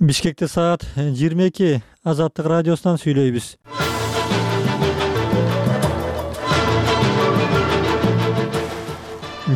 Бишкекте саат 22. Азаттык радиосунан сүйлөйбүз.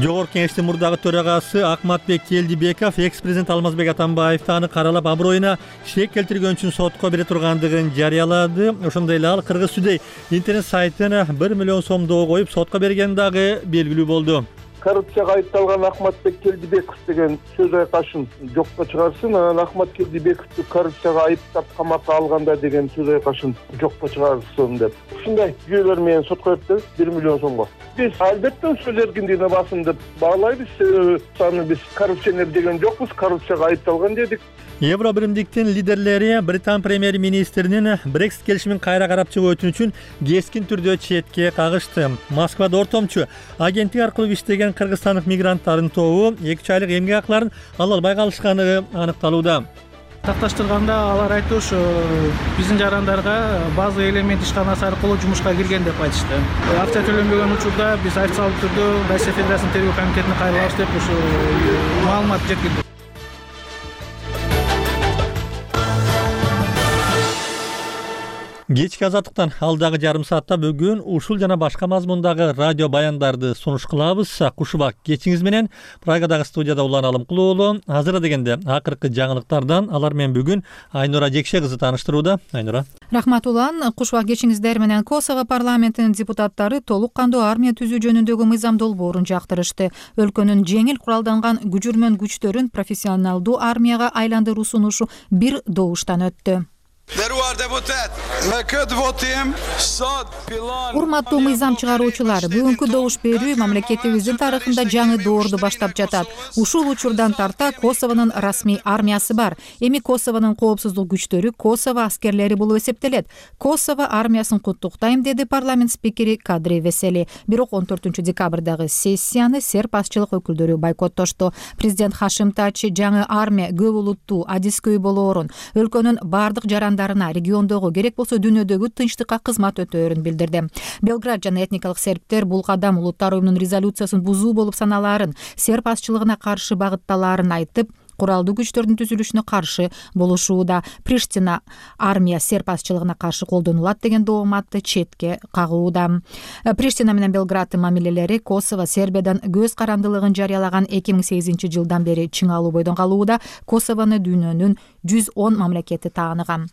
Жогорку Кеңештин мурдагы төрагасы Акматбек Келдибеков экс-президент Алмазбек Атамбаевди аны каралап аброюна шек келтирген үчүн сотко бере тургандыгын жарыялады. Ошондой эле ал Кыргыз Today интернет сайтын 1 миллион сомдоо коюп сотко берген дагы белгилүү болду. Коррупцияга айыпталган Акматбек Келдибеков деген сөз айкашын жокко чыгарсын, анан Акмат Келдибековду коррупцияга айыптап камакка алганда деген сөз айкашын жокко чыгарсын деп. Ушундай жүйөлөр менен сотко берди 1 миллион сомго. Биз албетте сөз эркиндигине басым деп баалайбыз. Аны биз коррупционер деген жокпуз, коррупцияга айыпталган дедик. Евро биримдиктин лидерлери Британ премьер-министринин Brexit келишимин кайра карап чыгуу үчүн кескин түрдө четке кагышты. Москвада ортомчу агенттик аркылуу иштеген кыргызстандык мигранттардын тобу 2 айлык эмгек акыларын ала албай калышканы аныкталууда. Такташтырганда алар айтты, ушу биздин жарандарга база элемент ишканасы аркылуу жумушка кирген деп айтышты. Акча төлөнбөгөн учурда биз официалдуу түрдө Россия Федерациясынын тергөө комитетине кайрылабыз деп ушу маалымат жеткирди. Кечки азаттыктан алдагы жарым саатта бүгүн ушул жана башка мазмундагы радио баяндарды сунуш кылабыз. Кушубак кечиңиз менен Прагадагы студияда Улан Алымкулуу уулу. Азыр дегенде акыркы жаңылыктардан алар менен бүгүн Айнура Жекше кызы тааныштырууда. Айнура. Рахмат Улан. Кушубак кечиңиздер менен Косово парламентинин депутаттары толук кандуу армия түзүү жөнүндөгү мыйзам долбоорун жактырышты. Өлкөнүн жеңил куралданган күжүрмөн күчтөрүн профессионалдуу армияга айландыруу сунушу бир добуштан өттү. Урматтуу мыйзам чыгаруучулар, бүгүнкү добуш берүү мамлекетибиздин тарыхында жаңы доорду баштап жатат. Ушул учурдан тарта Косовонун расмий армиясы бар. Эми Косовонун коопсуздук күчтөрү Косово аскерлери болуп эсептелет. Косово армиясын куттуктайм, деди парламент спикери Кадри Весели. Бирок 14 декабрдагы сессияны серб азчылык өкүлдөрү бойкоттошту. Президент Хашим Тачи жаңы армия көп улуттуу, адискөй болоорун, өлкөнүн бардык жарандарына, региондогу, керек болсо дүйнөдөгү тынчтыкка кызмат өтөөрүн билдирди. Белград жана этникалык сербтер бул кадам улуттар уюмунун резолюциясын бузуу болуп саналаарын, серб азчылыгына каршы багытталаарын айтып, куралдуу күчтөрдүн түзүлүшүнө каршы болушууда. Приштина армия серб азчылыгына каршы колдонулат деген дооматты четке кагууда. Приштина менен Белграддын мамилелери Косово Сербиядан көз карандылыгын жарыялаган 2008-жылдан бери чыңалуу бойдон калууда. Косовону дүйнөнүн 110 мамлекети тааныган.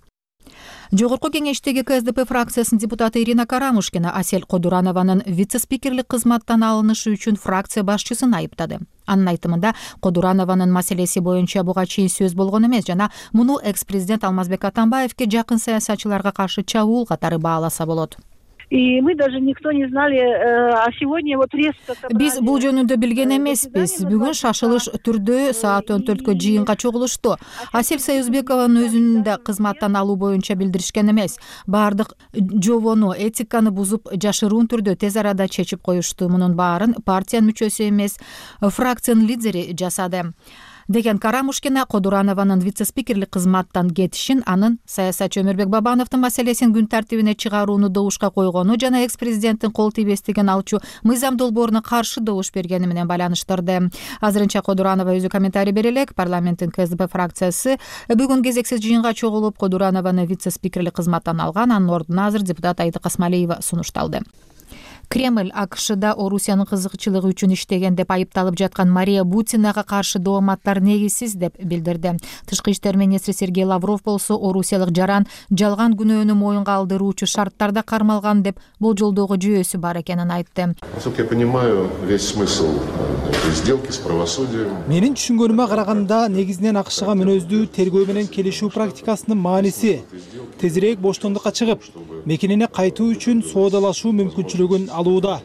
Жогорку кеңештеги КСДП фракциясынын депутаты Ирина Карамушкина Асель Кодуранованын вице-спикерлик кызматтан алынышы үчүн фракция башчысын айыптады. Анын айтымында Кодуранованын маселеси боюнча буга чейин сөз болгон эмес жана муну экс-президент Алмазбек Атамбаевке жакын саясатчыларга каршы чабуул катары бааласа болот. И мы даже никто не знали, а сегодня вот резко собрали. Биз бул жөнүндө билген эмеспиз. Бүгүн шашылыш түрдө саат 14 жыйынга чогулушту. Асель Союзбекованын өзүн да кызматтан алуу боюнча билдиришкен эмес. Бардык жобону, этиканы бузуп, жашыруун түрдө тез арада чечип коюшту. Мунун баарын партиянын мүчөсү эмес, фракциянын лидери жасады, деген Карамушкина Кодуранованын вице-спикерлик кызматтан кетишин, анын саясатчы Өмүрбек Бабановдун маселесин күн тартибине чыгарууну добушка койгону жана экс-президенттин кол тийбестигин алчу мыйзам долбооруна каршы добуш бергени менен байланыштырды. Азырынча Кодуранова өзү комментарий бере элек. Парламенттин КСДП фракциясы бүгүн кезексиз жыйынга чогулуп, Кодуранованы вице-спикерлик кызматтан алган. Анын ордуна азыр депутат Айдык Асмалиева сунушталды. Кремль АКШда Орусиянын кызыкчылыгы үчүн иштеген деп айыпталып жаткан Мария Бутинага каршы дооматтар негизсиз деп билдирди. Тышкы иштер министри Сергей Лавров болсо орусиялык жаран жалган күнөөнү моюнга алдыруучу шарттарда кармалган деп болжолдоого жүйөсү бар экенин айтты. Насколько я понимаю, весь смысл этой сделки с правосудием. Менин түшүнгөнүмө караганда негизинен АКШга мүнөздүү тергөө менен келишүү практикасынын мааниси тезирээк боштондукка чыгып, мекенине кайтуу үчүн соодалашуу мүмкүнчүлүгүн алууда.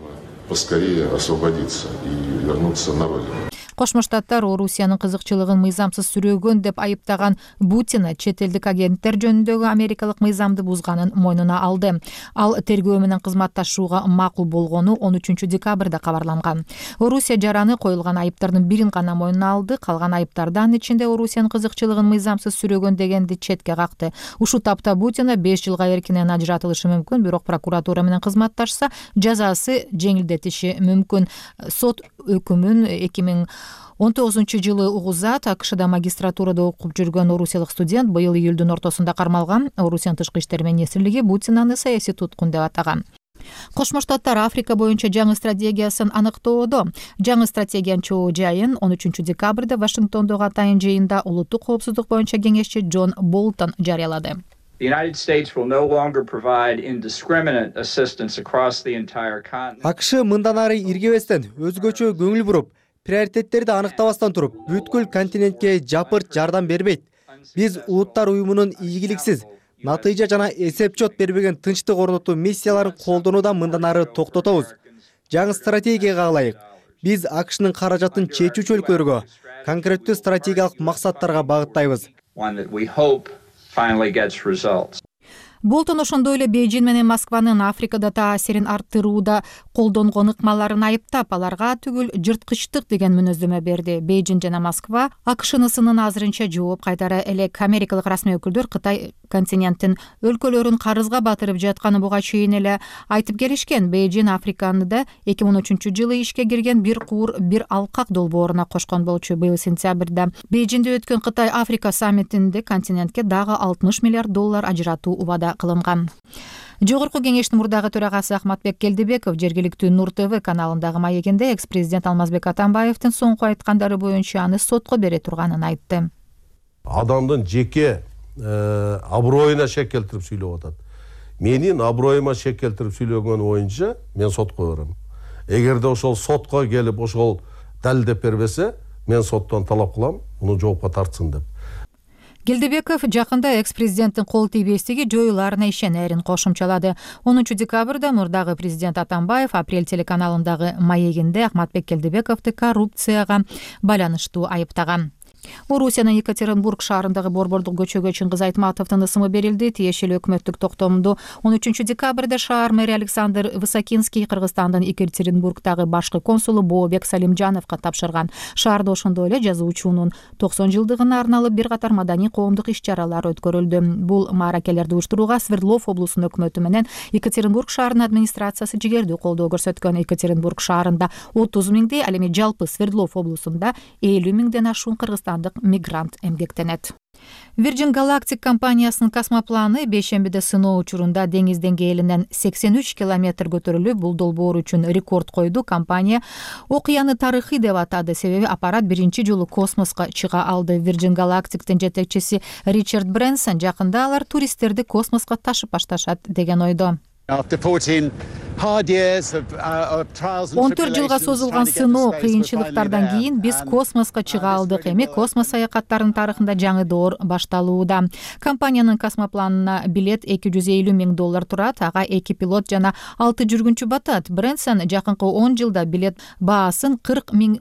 Поскорее освободиться и вернуться на родину. Кошмо Штаттар Орусиянын кызыкчылыгын мыйзамсыз сүрөөгөн деп айыптаган Бутина чет элдик агенттер жөнүндөгү америкалык мыйзамды бузганын мойнуна алды. Ал тергөө менен кызматташууга макул болгону 13 декабрда кабарланган. Орусия жараны коюлган айыптардын бирин гана мойнуна алды. Калган айыптардан ичинде Орусиянын кызыкчылыгын мыйзамсыз сүрөөгөн дегенди четке какты. Ушул тапта Бутина 5 жылга эркинен ажыратылышы мүмкүн, бирок прокуратура менен кызматташса жазасы жеңилдетиши мүмкүн. Сот өкүмүн 19-жылы угузат АКШда магистратурада окуп жүргөн орусиялык студент быйыл июлдун ортосунда кармалган. Орусиянын тышкы иштер министрлиги Бутинаны саясий туткун деп атаган. Кошмо Штаттар Африка боюнча жаңы стратегиясын аныктоодо. Жаңы стратегиянын чоо жайын 13 декабрда Вашингтондогу атайын жыйында улуттук коопсуздук боюнча кеңешчи Джон Болтон жарыялады. The United States will no longer provide indiscriminate assistance across the entire continent. АКШ мындан ары иргебестен, өзгөчө көңүл буруп, приоритеттерди аныктабастан туруп, бүткүл континентке жапырт жардам бербейт. Биз Улуттар уюмунун ийгиликсиз, натыйжа жана эсепчот бербеген тынчтык орнотуу миссияларын колдонуудан мындан ары токтотобуз. Жаңы стратегияга ылайык, биз АКШнын каражатын чечүүчү өлкөлөргө, конкреттүү стратегиялык максаттарга багыттайбыз. One that we hope finally gets results. Болтон ошондой эле Бейжин менен Москванын Африкада таасирин арттырууда колдонгон ыкмаларын айыптап, аларга түгүл жырткычтык деген мүнөздөмө берди. Бейжин жана Москва АКШнысынын азырынча жооп кайтара элек. Америкалык расмий өкүлдөр Кытай континенттин өлкөлөрүн карызга батырып жатканы буга чейин эле айтып келишкен. Бейжин Африканы да 2013-жылы ишке кирген бир куур, бир алкак долбооруна кошкон болчу. Быйыл сентябрда Бейжинде өткөн Кытай Африка саммитинде континентке дагы $60 миллиард ажыратуу убада кылынган. Жогорку кеңештин мурдагы төрагасы Ахматбек Келдибеков жергиликтүү Нур ТВ каналындагы маегинде экс-президент Алмазбек Атамбаевдин соңку айткандары боюнча аны сотко бере турганын айтты. Адамдын жеке аброюна шек келтирип сүйлөп атат. Менин аброюма шек келтирип сүйлөгөн боюнча мен сотко берем. Эгерде ошол сотко келип ошол далилдеп бербесе, мен соттон талап кылам, муну жоопко тартсын деп. Келдибеков жакында экс-президенттин кол тийбестиги жоюларына ишенерин кошумчалады. 10 декабрда мурдагы президент Атамбаев Апрель телеканалындагы маегинде Ахматбек Келдибековду коррупцияга байланыштуу айыптаган. Орусиянын Екатеринбург шаарындагы борбордук көчөгө Чыңгыз Айтматовдун ысымы берилди. Тиешелүү өкмөттүк токтомду 13 декабрда шаар мэри Александр Высокинский Кыргызстандын Екатеринбургдагы башкы консулу Бообек Салимжановго тапшырган. Шаарда ошондой эле жазуучунун 90 жылдыгына арналып бир катар маданий коомдук иш-чаралар өткөрүлдү. Бул мааракелерди уюштурууга Свердлов облусунун өкмөтү менен Екатеринбург шаарынын администрациясы жигердүү колдоо көрсөткөн. Екатеринбург шаарында 30 миңдей, ал эми жалпы Свердлов облусунда 50 миңден ашуун кыргызстандык мигрант эмгектенет. Virgin Galactic компаниясынын космопланы бейшембиде сыноо учурунда деңиз деңгээлинен 83 километр көтөрүлүп, бул долбоор үчүн рекорд койду. Компания окуяны тарыхый деп атады, себеби аппарат биринчи жолу космоско чыга алды. Virgin Galactic'тин жетекчиси Ричард Брэнсон жакында алар туристтерди космоско ташып башташат деген ойдо. 14 жылга созулган сыноо, кыйынчылыктардан кийин биз космоско чыга алдык. Эми космос саякаттарынын тарыхында жаңы доор башталууда. Компаниянын космопланына билет $250 миң турат, ага 2 пилот жана 6 жүргүнчү батат. Брэнсон жакынкы 10 жылда билет баасын $40 миң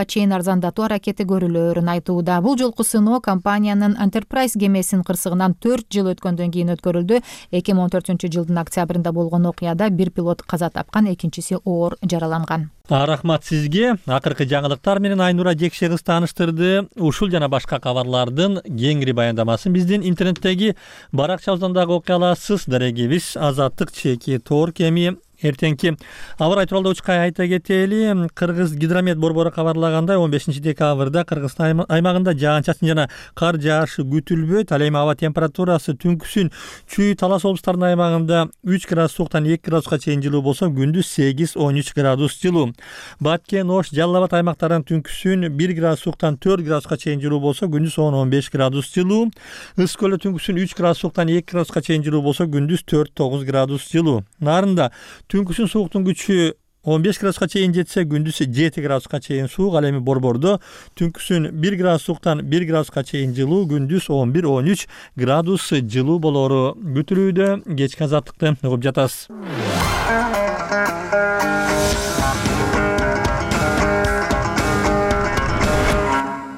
чейин арзандатуу аракети көрүлөөрүн айтууда. Бул жолку сыноо компаниянын Enterprise кемесинин кырсыгынан 4 жыл өткөндөн кийин өткөрүлдү. 2014-жылдын октябрында болгон окуяда бир пилот каза тапкан, экинчиси оор жараланган. Рахмат сизге. Акыркы жаңылыктар менен Айнура Жекше кыз тааныштырды. Ушул жана башка кабарлардын кеңири баяндамасын биздин интернеттеги баракчабыздан дагы окуй аласыз. Дарегибиз Азаттык чеки Торк. Эми эртеңки аба рай тууралуу учка айта кетели. Кыргыз гидромет борбору кабарлагандай 15 декабрда Кыргызстан аймагында жаан-чачын жана кар жаашы күтүлбөйт. Ал эми аба температурасы түнкүсүн Чүй Талас облустарынын аймагында 3 градус сууктан 2 градуска чейин жылуу болсо, күндүз 8-13 градус жылуу. Баткен, Ош, Жалал Абад аймактарынын түнкүсүн 1 градус сууктан 4 градуска чейин жылуу болсо, күндүз 10-15 градус жылуу. Ыс көлдө түнкүсүн 3 градус сууктан 2 градуска чейин жылуу болсо, күндүз 4-9 градус жылуу. Нарында түнкүсүн сууктун күчү 15 градуска чейин жетсе, күндүз 7 градуска чейин суук. Ал эми борбордо түнкүсүн 1 градус сууктан 1 градуска чейин жылуу, күндүз 11-13 градус жылуу болору күтүлүүдө. Кечки Азаттыкты угуп жатасыз.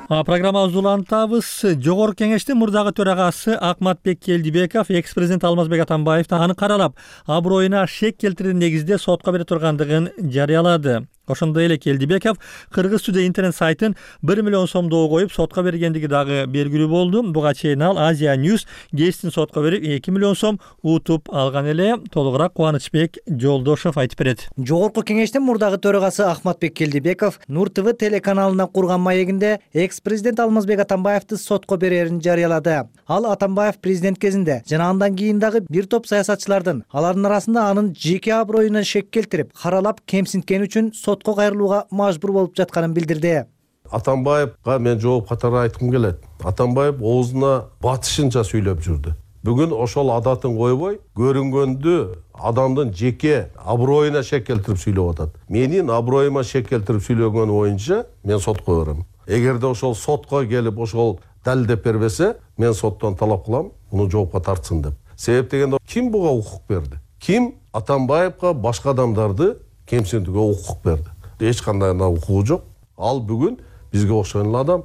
Программабызды улантабыз. Жогорку кеңештин мурдагы төрагасы Ахматбек Келдибеков экс-президент Алмазбек Атамбаевди аны каралап, аброюна шек келтирген негизде сотко бере тургандыгын жарыялады. Ошондой эле Келдибеков Кыргыз Today интернет сайтын 1 миллион сомдоо коюп сотко бергендиги дагы белгилүү болду. Буга чейин ал Asia News гезитин сотко берип 2 миллион сом утуп алган эле. Толугураак Кубанычбек Жолдошов айтып берет. Жогорку кеңештин мурдагы төрагасы Ахматбек Келдибеков Нур ТВ телеканалына курган маегинде экс-президент Алмазбек Атамбаевди сотко берерин жарыялады. Ал Атамбаев президент кезинде жана андан кийин дагы бир топ саясатчылардын, алардын арасында анын жеке аброюна шек келтирип, каралап кемсинткени үчүн сотко кайрылууга мажбур болуп жатканын билдирди. Атамбаевга мен жооп катары айткым келет. Атамбаев оозуна батышынча сүйлөп жүрдү. Бүгүн ошол адатын койбой, көрүнгөндү адамдын жеке аброюна шек келтирип сүйлөп атат. Менин аброюма шек келтирип сүйлөгөн боюнча мен сотко берем. Эгерде ошол сотко келип ошол далилдеп бербесе, мен соттон талап кылам, муну жоопко тартсын деп. Себеп дегенде ким буга укук берди? Ким Атамбаевга башка адамдарды кемсинтүүгө укук берди? Эч кандай укугу жок. Ал бүгүн бизге окшогон адам.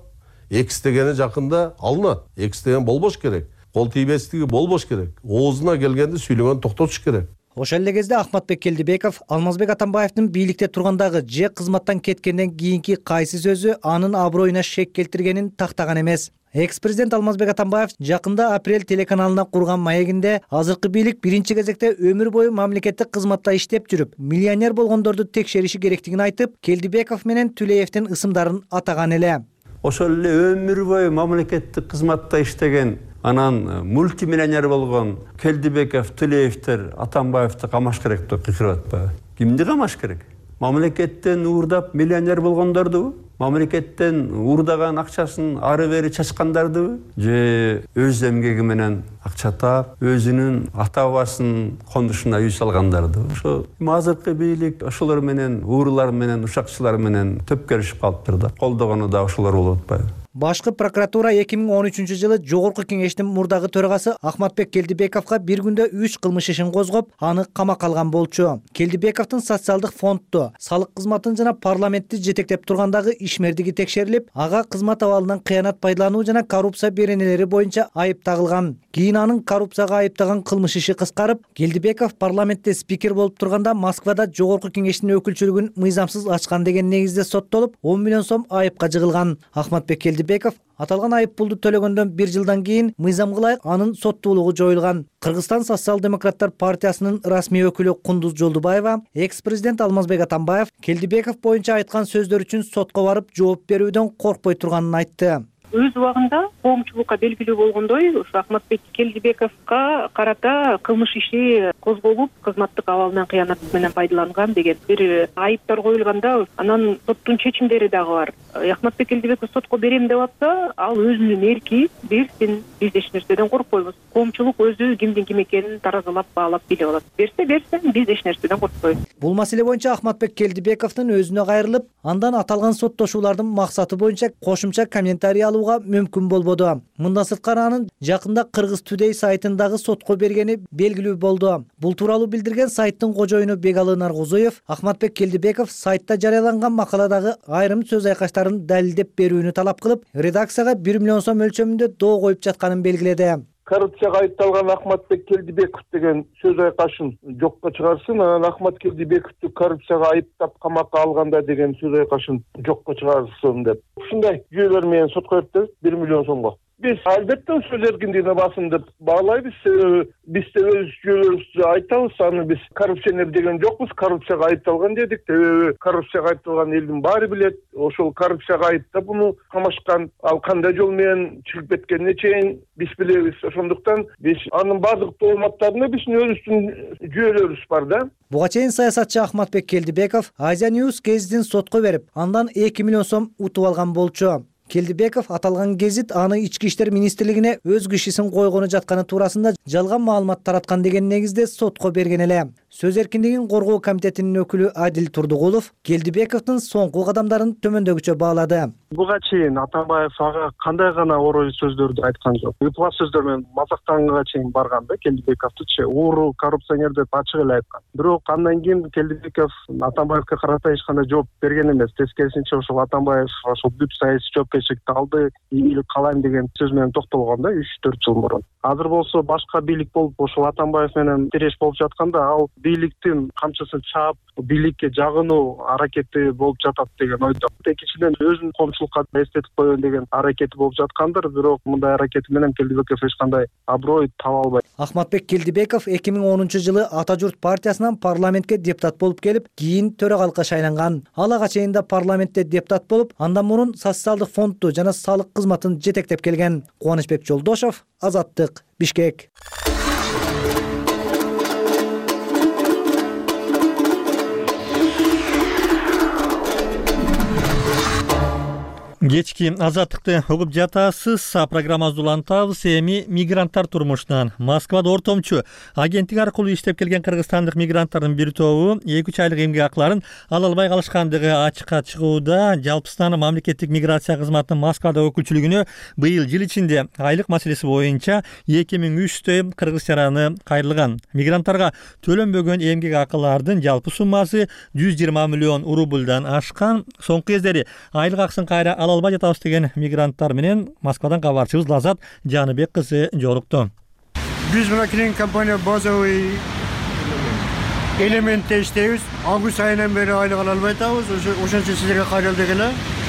Экс дегени жакында алынат. Экс деген болбош керек. Кол тийбестиги болбош керек. Оозуна келгенде сүйлөгөн токтотуш керек. Ошол эле кезде Ахматбек Келдибеков Алмазбек Атамбаевдин бийликте тургандагы же кызматтан кеткенден кийинки кайсы сөзү анын аброюна шек келтиргенин тактаган эмес. Экс-президент Алмазбек Атамбаев жакында Апрель телеканалына курган маегинде азыркы бийлик биринчи кезекте өмүр бою мамлекеттик кызматта иштеп жүрүп, миллионер болгондорду текшериши керектигин айтып, Келдибеков менен Түлеевдин ысымдарын атаган эле. Ошол эле өмүр бою мамлекеттик кызматта иштеген, анан мультимиллионер болгон Келдибеков, Түлеевдер Атамбаевди камаш керек деп кыйкырып атпайбы? Кимди камаш керек? Мамлекеттен уурдап миллионер болгондордубу? Мамлекеттен уурдаган акчасын ары бери чачкандардыбы? Же өз эмгеги менен акча таап, өзүнүн ата бабасынын кондушуна үй салгандардыбы? Ошо азыркы бийлик ошолор менен, уурулар менен, ушакчылар менен төпкөрүшүп калыптыр да. Колдогону да ошолор болуп атпайбы? Башкы прокуратура 2013-жылы Жогорку кеңештин мурдагы төрагасы Ахматбек Келдибековго бир күндө 3 кылмыш ишин козгоп, аны камакка алган болчу. Келдибековдун социалдык фондду, салык кызматын жана парламентти жетектеп тургандагы ишмердиги текшерилип, ага кызмат абалынан кыянат пайдалануу жана коррупция беренелери боюнча айып тагылган. Кийин анын коррупцияга айыптаган кылмыш иши кыскарып, Келдибеков парламентте спикер болуп турганда Москвада Жогорку кеңештин өкүлчүлүгүн мыйзамсыз ачкан деген негизде соттолуп, 10 миллион сом айыпка жыгылган. Ахматбек Келдибеков аталган айып пулду төлөгөндөн 1 жылдан кийин мыйзамга ылайык анын соттуулугу жоюлган. Кыргызстан социал-демократтар партиясынын расмий өкүлү Кундуз Жолдубаева экс-президент Алмазбек Атамбаев Келдибеков боюнча айткан сөздөр үчүн сотко барып жооп берүүдөн коркпой турганын айтты. Өз убагында коомчулукка белгилүү болгондой, ушу Ахматбек Келдибековго карата кылмыш иши козголуп, кызматтык абалынан кыянат менен пайдаланган деген бир айыптар коюлганда, анан соттун чечимдери дагы бар. Ахматбек Келдибеков сотко берем деп атса, ал өзүнүн эрки берсин, биз эч нерседен коркпойбуз. Коомчулук өзү кимдин ким экенин таразалап баалап билип алат. Берсин, биз эч нерседен коркпойбуз. Бул маселе боюнча Ахматбек Келдибековдун өзүнө кайрылып, андан аталган соттошуулардын максаты боюнча кошумча комментарий алууга мүмкүн болбоду. Мындан сырткары анын жакында Кыргыз Today сайтындагы сотко бергени белгилүү болду. Бул тууралуу билдирген сайттын кожоюну Бегалы Наргузуев Ахматбек Келдибеков сайтта жарыяланган макаладагы айрым сөз айкаштарын далилдеп берүүнү талап кылып, редакцияга 1 миллион сом өлчөмүндө доо коюп жатканын белгиледи. Коррупцияга айыпталган Ахматбек Келдибеков деген сөз айкашын жокко чыгарсын, анан Ахмат Келдибековду коррупцияга айыптап камакка алганда деген сөз айкашын жокко чыгарсын деп. Ушундай жүйөлөр менен сотко берди 1 миллион сомго. Биз албетте сөз эркиндигине басым деп баалайбыз. Биз да өз жүйөлөрүбүздү айтабыз. Аны биз коррупционер деген жокпуз. Коррупцияга айыпталган дедик. Коррупцияга айыпталган элдин баары билет. Ошол коррупцияга айыптап муну камашкан, ал кандай жол менен чыгып кеткенине чейин биз билебиз. Ошондуктан биз анын бардык дооматтарына биздин өзүбүздүн жүйөлөрүбүз бар да. Буга чейин саясатчы Ахматбек Келдибеков Asia News гезитин сотко берип, андан 2 миллион сом утуп алган болчу. Келдибеков аталган гезит аны Ички иштер министрлигине өз кишисин койгону жатканы туурасында жалган маалымат тараткан деген негизде сотко берген эле. Сөз эркиндигин коргоо комитетинин өкүлү Адил Турдугулов Келдибековдун соңку кадамдарын төмөндөгүчө баалады. Буга чейин Атамбаев ага кандай гана орой сөздөрдү айткан жок. Ыплас сөздөр менен мазактанганга чейин барган да Келдибековду ууру коррупционер деп ачык эле айткан. Бирок андан кийин Келдибеков Атамбаевге карата эч кандай жооп берген эмес. Тескерисинче ошол Атамбаев ошол бүт саясий жоопкерчиликти алды, ийгилик каалайм деген сөз менен токтолгон да 3-4 жыл мурун. Азыр болсо башка бийлик болуп ошол Атамбаев менен тиреш болуп жатканда ал бийликтин камчысын чаап бийликке жагынуу аракети болуп жатат деген ойдо. Экинчиден өзүнүн коомчулукка эстетип коеюн деген аракети болуп жаткандыр, бирок мындай аракети менен Келдибеков эч кандай аброй таба албайт. Ахматбек Келдибеков 2010-жылы Ата журт партиясынан парламентке депутат болуп келип, кийин төрагалыкка шайланган. Ал ага чейин да парламентте депутат болуп, андан мурун социалдык фондду жана салык кызматын жетектеп келген. Кубанычбек Жолдошов, Азаттык, Бишкек. Кечки Азаттыкты угуп жатасыз. Программабызды улантабыз. Эми мигранттар турмушунан. Москвада ортомчу агенттик аркылуу иштеп келген кыргызстандык мигранттардын бир тобу 2-3 айлык эмгек акыларын ала албай калышкандыгы ачыкка чыгууда. Жалпысынан мамлекеттик миграция кызматынын Москвада өкүлчүлүгүнө быйыл жыл ичинде айлык маселеси боюнча 2300 кыргыз жараны кайрылган. Мигранттарга төлөнбөгөн эмгек акылардын жалпы суммасы 120 миллион рубльдан ашкан. Соңку кездери айлык акысын кайра албай жатабыз деген мигранттар менен Москвадан кабарчыбыз Лазат Жаныбек кызы жолукту. Биз мына клининг компания базовый элементте иштейбиз. Август айынан бери айлык ала албай атабыз. Ошончо силерге кайрылдык эле.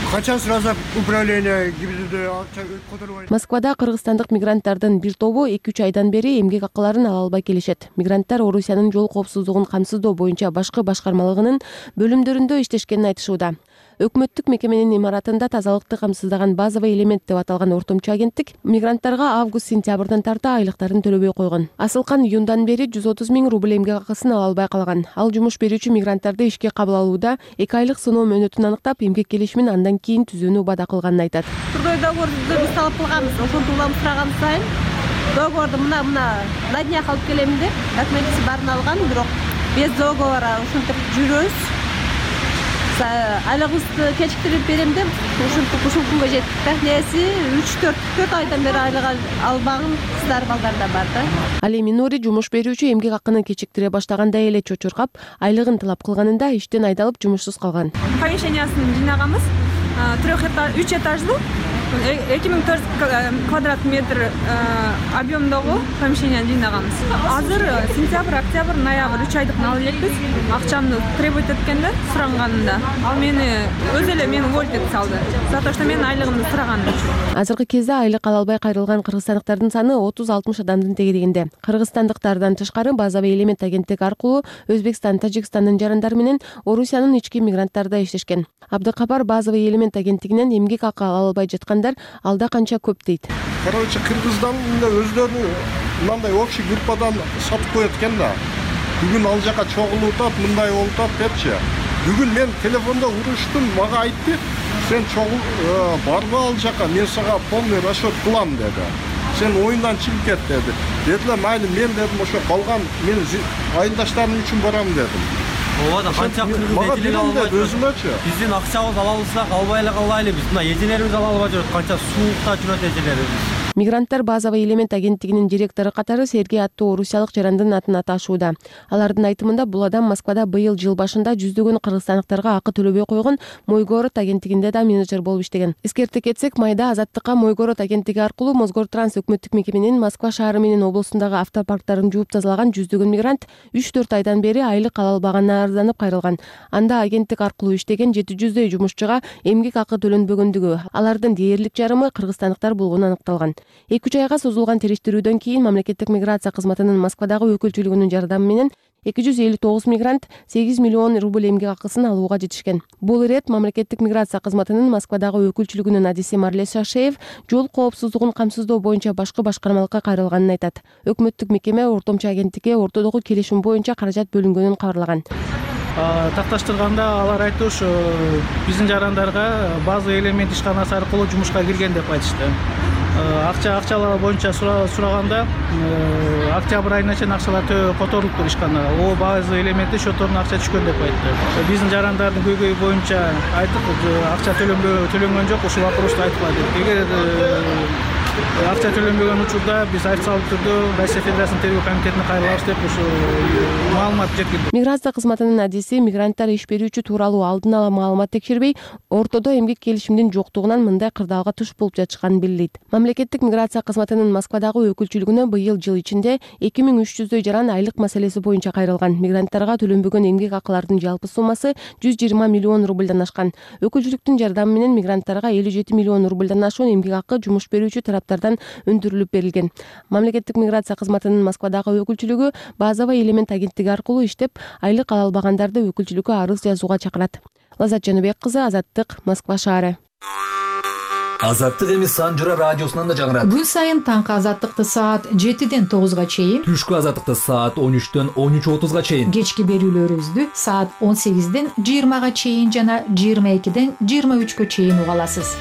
Качан суразак управление гибридде акча которбайт. Москвада кыргызстандык мигранттардын бир тобу 2-3 айдан бери эмгек акыларын ала албай келишет. Мигранттар Орусиянын жол коопсуздугун камсыздоо боюнча башкы башкармалыгынын бөлүмдөрүндө иштешкенин айтышууда. Өкмөттүк мекеменин имаратында тазалыкты камсыздаган базовый элемент деп аталган ортомчу агенттик мигранттарга август-сентябрдан тарта айлыктарын төлөбөй койгон. Асылкан июндан бери 130 000 рубль эмгек акысын ала албай калган. Ал жумуш берүүчү мигранттарды ишке кабыл алууда 2 айлык сыноо мөөнөтүн аныктап, эмгек келишимин андан кийин түзүүнү убада кылганын айтат. Трудовой договорду биз талап кылганбыз, ошентип улам сураган сайын договорду мына на днях алып келем деп документти баарын алган, бирок без договора ушинтип жүрөбүз. Айлыгыбызды кечиктирип берем деп ушул күнгө жеттик да. Неси 3-4 айдан бери айлык албаган кыздар балдар да бар да. Ал эми Нури жумуш берүүчү эмгек акыны кечиктире баштаганда эле чочуркап, айлыгын талап кылганында иштен айдалып жумушсуз калган. Помещениясын жинаганбыз. 3 этаждуу 2400 квадрат метр объемдогу помещение жинаганбыз. Азыр сентябрь, октябрь, ноябрь 3 айдыкын алып элекпиз. Акчамды требовать эткенде суранганында ал мени өзү эле мени уволить этип салды. За то, что мен айлыгымды сураганым үчүн. Азыркы кезде айлык ала албай кайрылган кыргызстандыктардын саны 30-60 адамдын тегерегинде. Кыргызстандыктардан тышкары базовый элемент агенттиги аркылуу Өзбекстан, Тажикстандын жарандары менен Орусиянын ички мигранттарда иштешкен. Абдыкапар базовый элемент агенттигинен эмгек акы ала албай жаткандар алда канча көп дейт. Короче, кыргыздан өздөрүнүн мындай общий группадан сатып коет экен да. Бүгүн ал жака чогулуп атат, мындай болуп атат депчи. Бүгүн мен телефондо уруштум, мага айтты, сен чогул барбы ал жака, мен сага полный расчет кылам деди. Сен оюндан чыгып кет деди. Дедилер, майли мен дедим, ошо калган мен айылдаштарым үчүн барам дедим. Ооба, канча кыргыз этилер албай жүрөт. Биздин акчабыз ала алсак албай эле калайлы. Биз мына эжелерибиз ала албай жүрөт, канча суукта жүрөт эжелерибиз. Мигранттар базовый элемент агенттигинин директору катары Сергей аттуу орусиялык жарандын атын аташууда. Алардын айтымында бул адам Москвада быйыл жыл башында жүздөгөн кыргызстандыктарга акы төлөбөй койгон Мойгород агенттигинде да менеджер болуп иштеген. Эскерте кетсек, майда Азаттыкка Мойгород агенттиги аркылуу Мосгортранс өкмөттүк мекеменин Москва шаары менен облусундагы автопарктарын жууп тазалаган жүздөгөн мигрант 3-4 айдан бери айлык ала албаганына арызданып кайрылган. Анда агенттик аркылуу иштеген 700 жумушчуга эмгек акы төлөнбөгөндүгү, алардын дээрлик жарымы кыргызстандыктар болгону аныкталган. 2 айга созулган териштирүүдөн кийин мамлекеттик миграция кызматынын Москвадагы өкүлчүлүгүнүн жардамы менен 259 мигрант 8 миллион рубль эмгек акысын алууга жетишкен. Бул ирет мамлекеттик миграция кызматынын Москвадагы өкүлчүлүгүнүн адиси Марлес Шашеев жол коопсуздугун камсыздоо боюнча башкы башкармалыкка кайрылганын айтат. Өкмөттүк мекеме ортомчу агенттикке ортодогу келишим боюнча каражат бөлүнгөнүн кабарлаган. Такташтырганда алар айтты, ушу биздин жарандарга базовый элемент ишканасы аркылуу жумушка кирген деп айтышты. Акчалар боюнча сураганда октябрь айына чейин акчалар которулуптур ишканага. О базовый элементте счетторуна акча түшкөн деп айтты. Биздин жарандардын көйгөйү боюнча айттык, акча төлөнгөн жок, ушул вопросту айтпа деп. Эгер акча төлөнбөгөн учурда биз официалдуу түрдө Россия Федерациясынын тергөө комитетине кайрылабыз деп ушу маалымат жеткирди. Миграция кызматынын адиси мигранттар иш берүүчү тууралуу алдын ала маалымат текшербей, ортодо эмгек келишимдин жоктугунан мындай кырдаалга туш болуп жатышканын белгилейт. Мамлекеттик миграция кызматынын Москвадагы өкүлчүлүгүнө быйыл жыл ичинде 2300 жаран айлык маселеси боюнча кайрылган. Мигранттарга төлөнбөгөн эмгек акылардын жалпы суммасы 120 миллион рубльдан ашкан. Өкүлчүлүктүн жардамы менен мигранттарга 57 миллион рубльдан ашуун эмгек акы жумуш берүүчү тараптардан өндүрүлүп берилген. Мамлекеттик миграция кызматынын Москвадагы өкүлчүлүгү базовый элемент агенттиги аркылуу иштеп, айлык ала албагандарды өкүлчүлүккө арыз жазууга чакырат. Лазат Жаныбек кызы, Азаттык, Москва шаары. Азаттык эми Санжыра радиосунан да жаңырат. Күн сайын таңкы Азаттыкты саат 7-ден 9-га чейин, Түшкү Азаттыкты саат 13-төн 13:30-га чейин, кечки берүүлөрүбүздү саат 18-ден 20-га чейин жана 22-ден 23-кө чейин уга аласыз.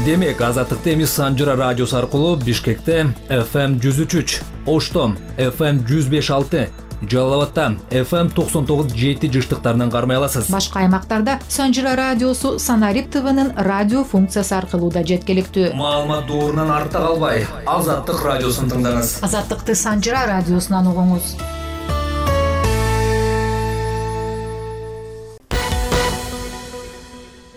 Демек, Азаттыкты эми Санжыра радиосу аркылуу Бишкекте FM 103, Ошто FM 105.6, Жалал-Абадта FM 99.7 жыштыктарынан кармай аласыз. Башка аймактарда Санжыра радиосу Санарип ТВнын радио функциясы аркылуу да жеткиликтүү. Маалымат доорунан артта калбай, Азаттык радиосун тыңдаңыз. Азаттыкты Санжыра радиосунан угуңуз.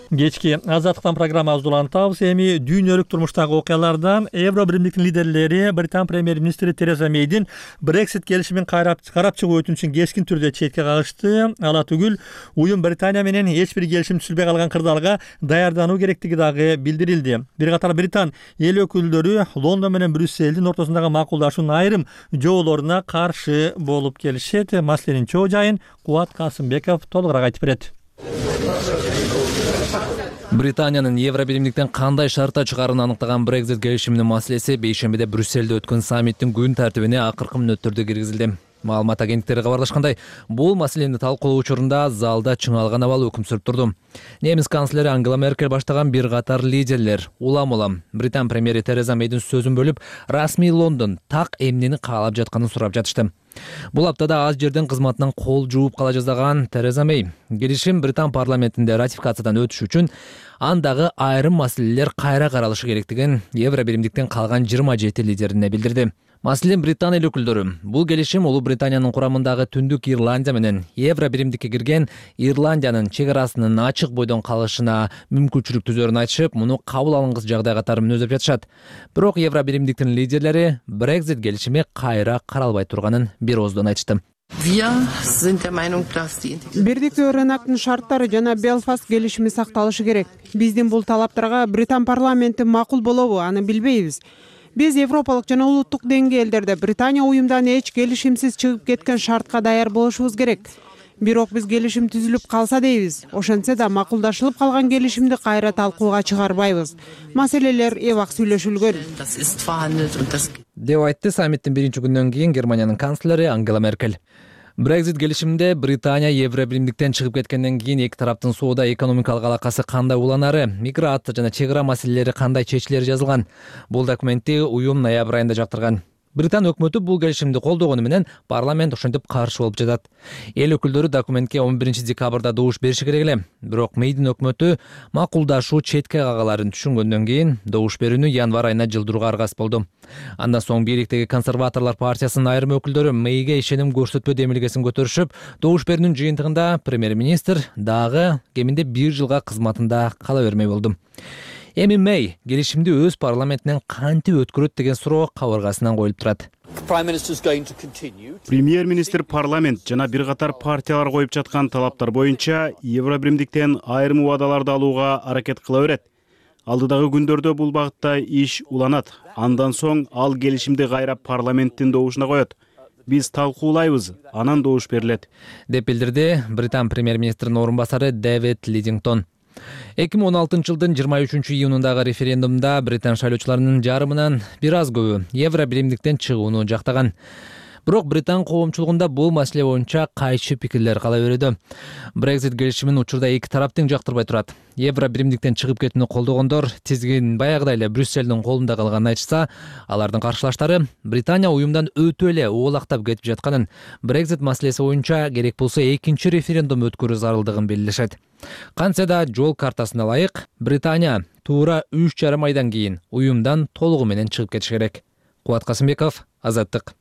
Кечки Азаттыктан программабызды улантабыз. Эми дүйнөлүк турмуштагы окуялардан Евро биримдиктин лидерлери Британ премьер-министри Тереза Мейдин Brexit келишимин карап чыгуу өтүнүчүн кескин түрдө четке кагышты. Ала түгүл, уюм Британия менен эч бир келишим түзүлбөй калган кырдаалга даярдануу керектиги дагы билдирилди. Бир катар Британ эл өкүлдөрү Лондон менен Брюссельдин ортосундагы макулдашуунун айрым жоболоруна каршы болуп келишет. Маселенин чоо жайын Кубат Касымбеков толугураак айтып берет. Британиянын Евро биримдиктен кандай шартта чыгаарын аныктаган Brexit келишиминин маселеси бейшембиде Брюссельде өткөн саммиттин күн тартибине акыркы мүнөттөрдө киргизилди. Маалымат агенттиктери кабарлашкандай, бул маселени талкуулоо учурунда залда чыңалган абал өкүм сүрүп турду. Немис канцлери Ангела Меркель баштаган бир катар лидерлер улам Британ премьери Тереза Мейдин сөзүн бөлүп, расмий Лондон так эмнени каалап жатканын сурап жатышты. Бул аптада аз жерден кызматынан кол жууп кала жаздаган Тереза Мей келишим Британ парламентинде ратификациядан өтүш үчүн андагы айрым маселелер кайра каралышы керектигин Евро биримдиктен калган 27 лидерине билдирди. Маселен, Британ эл өкүлдөрү бул келишим Улуу Британиянын курамындагы Түндүк Ирландия менен Евро биримдикке кирген Ирландиянын чек арасынын ачык бойдон калышына мүмкүнчүлүк түзөрүн айтышып, муну кабыл алынгыс жагдай катары мүнөздөп жатышат. Бирок Евро биримдиктин лидерлери Brexit келишими кайра каралбай турганын бир ооздон айтышты. Бирдиктүү рыноктун шарттары жана Белфаст келишими сакталышы керек. Биздин бул талаптарга Британ парламенти макул болобу, аны билбейбиз. Биз европалык жана улуттук деңгээлдерде Британия уюмдан эч келишимсиз чыгып кеткен шартка даяр болушубуз керек. Бирок биз келишим түзүлүп калса дейбиз. Ошентсе да макулдашылып калган келишимди кайра талкууга чыгарбайбыз. Маселелер эбак сүйлөшүлгөн. Деп айтты саммиттин биринчи күнүнөн кийин Германиянын канцлери Ангела Меркель. Brexit келишиминде Британия Евро биримдиктен чыгып кеткенден кийин эки тараптын соода экономикалык алакасы кандай уланары, миграция жана чек ара маселелери кандай чечилери жазылган. Бул документти уюм ноябрь айында жактырган. Британ өкмөтү бул келишимди колдогону менен парламент ошентип каршы болуп жатат. Эл өкүлдөрү документке 11 декабрда добуш бериши керек эле. Бирок Мейдин өкмөтү макулдашуу четке кагаларын түшүнгөндөн кийин добуш берүүнү январь айына жылдырууга аргасыз болду. Андан соң бийликтеги консерваторлор партиясынын айрым өкүлдөрү Мейге ишеним көрсөтпөө демилгесин көтөрүшүп, добуш берүүнүн жыйынтыгында премьер-министр дагы кеминде 1 жылга кызматында кала бермей болду. Эми Мей келишимди өз парламентинен кантип өткөрөт деген суроо кабыргасынан коюлуп турат. Премьер-министр парламент жана бир катар партиялар коюп жаткан талаптар боюнча Евро биримдиктен айрым убадаларды алууга аракет кыла берет. Алдыдагы күндөрдө бул багытта иш уланат. Андан соң ал келишимди кайра парламенттин добушуна коет. Биз талкуулайбыз, анан добуш берилет, деп билдирди Британ премьер-министринин орун басары Дэвид Лидингтон. 2016 жылдын 23 июнундагы референдумда Британ шайлоочуларынын жарымынан бир аз көбү Евро биримдиктен чыгууну жактаган. Бирок Британ коомчулугунда бул маселе боюнча кайчы пикирлер кала берүүдө. Brexit келишимин учурда эки тарап тең жактырбай турат. Евро биримдиктен чыгып кетүүнү колдогондор тизгин баягыдай эле Брюссельдин колунда калганын айтышса, алардын каршылаштары Британия уюмдан өтө эле оолактап кетип жатканын, Brexit маселеси боюнча керек болсо экинчи референдум өткөрүү зарылдыгын белгилешет. Кантсе да жол картасына ылайык Британия туура 3,5 айдан кийин уюмдан толугу менен чыгып кетиш керек. Кубат Касымбеков, Азаттык.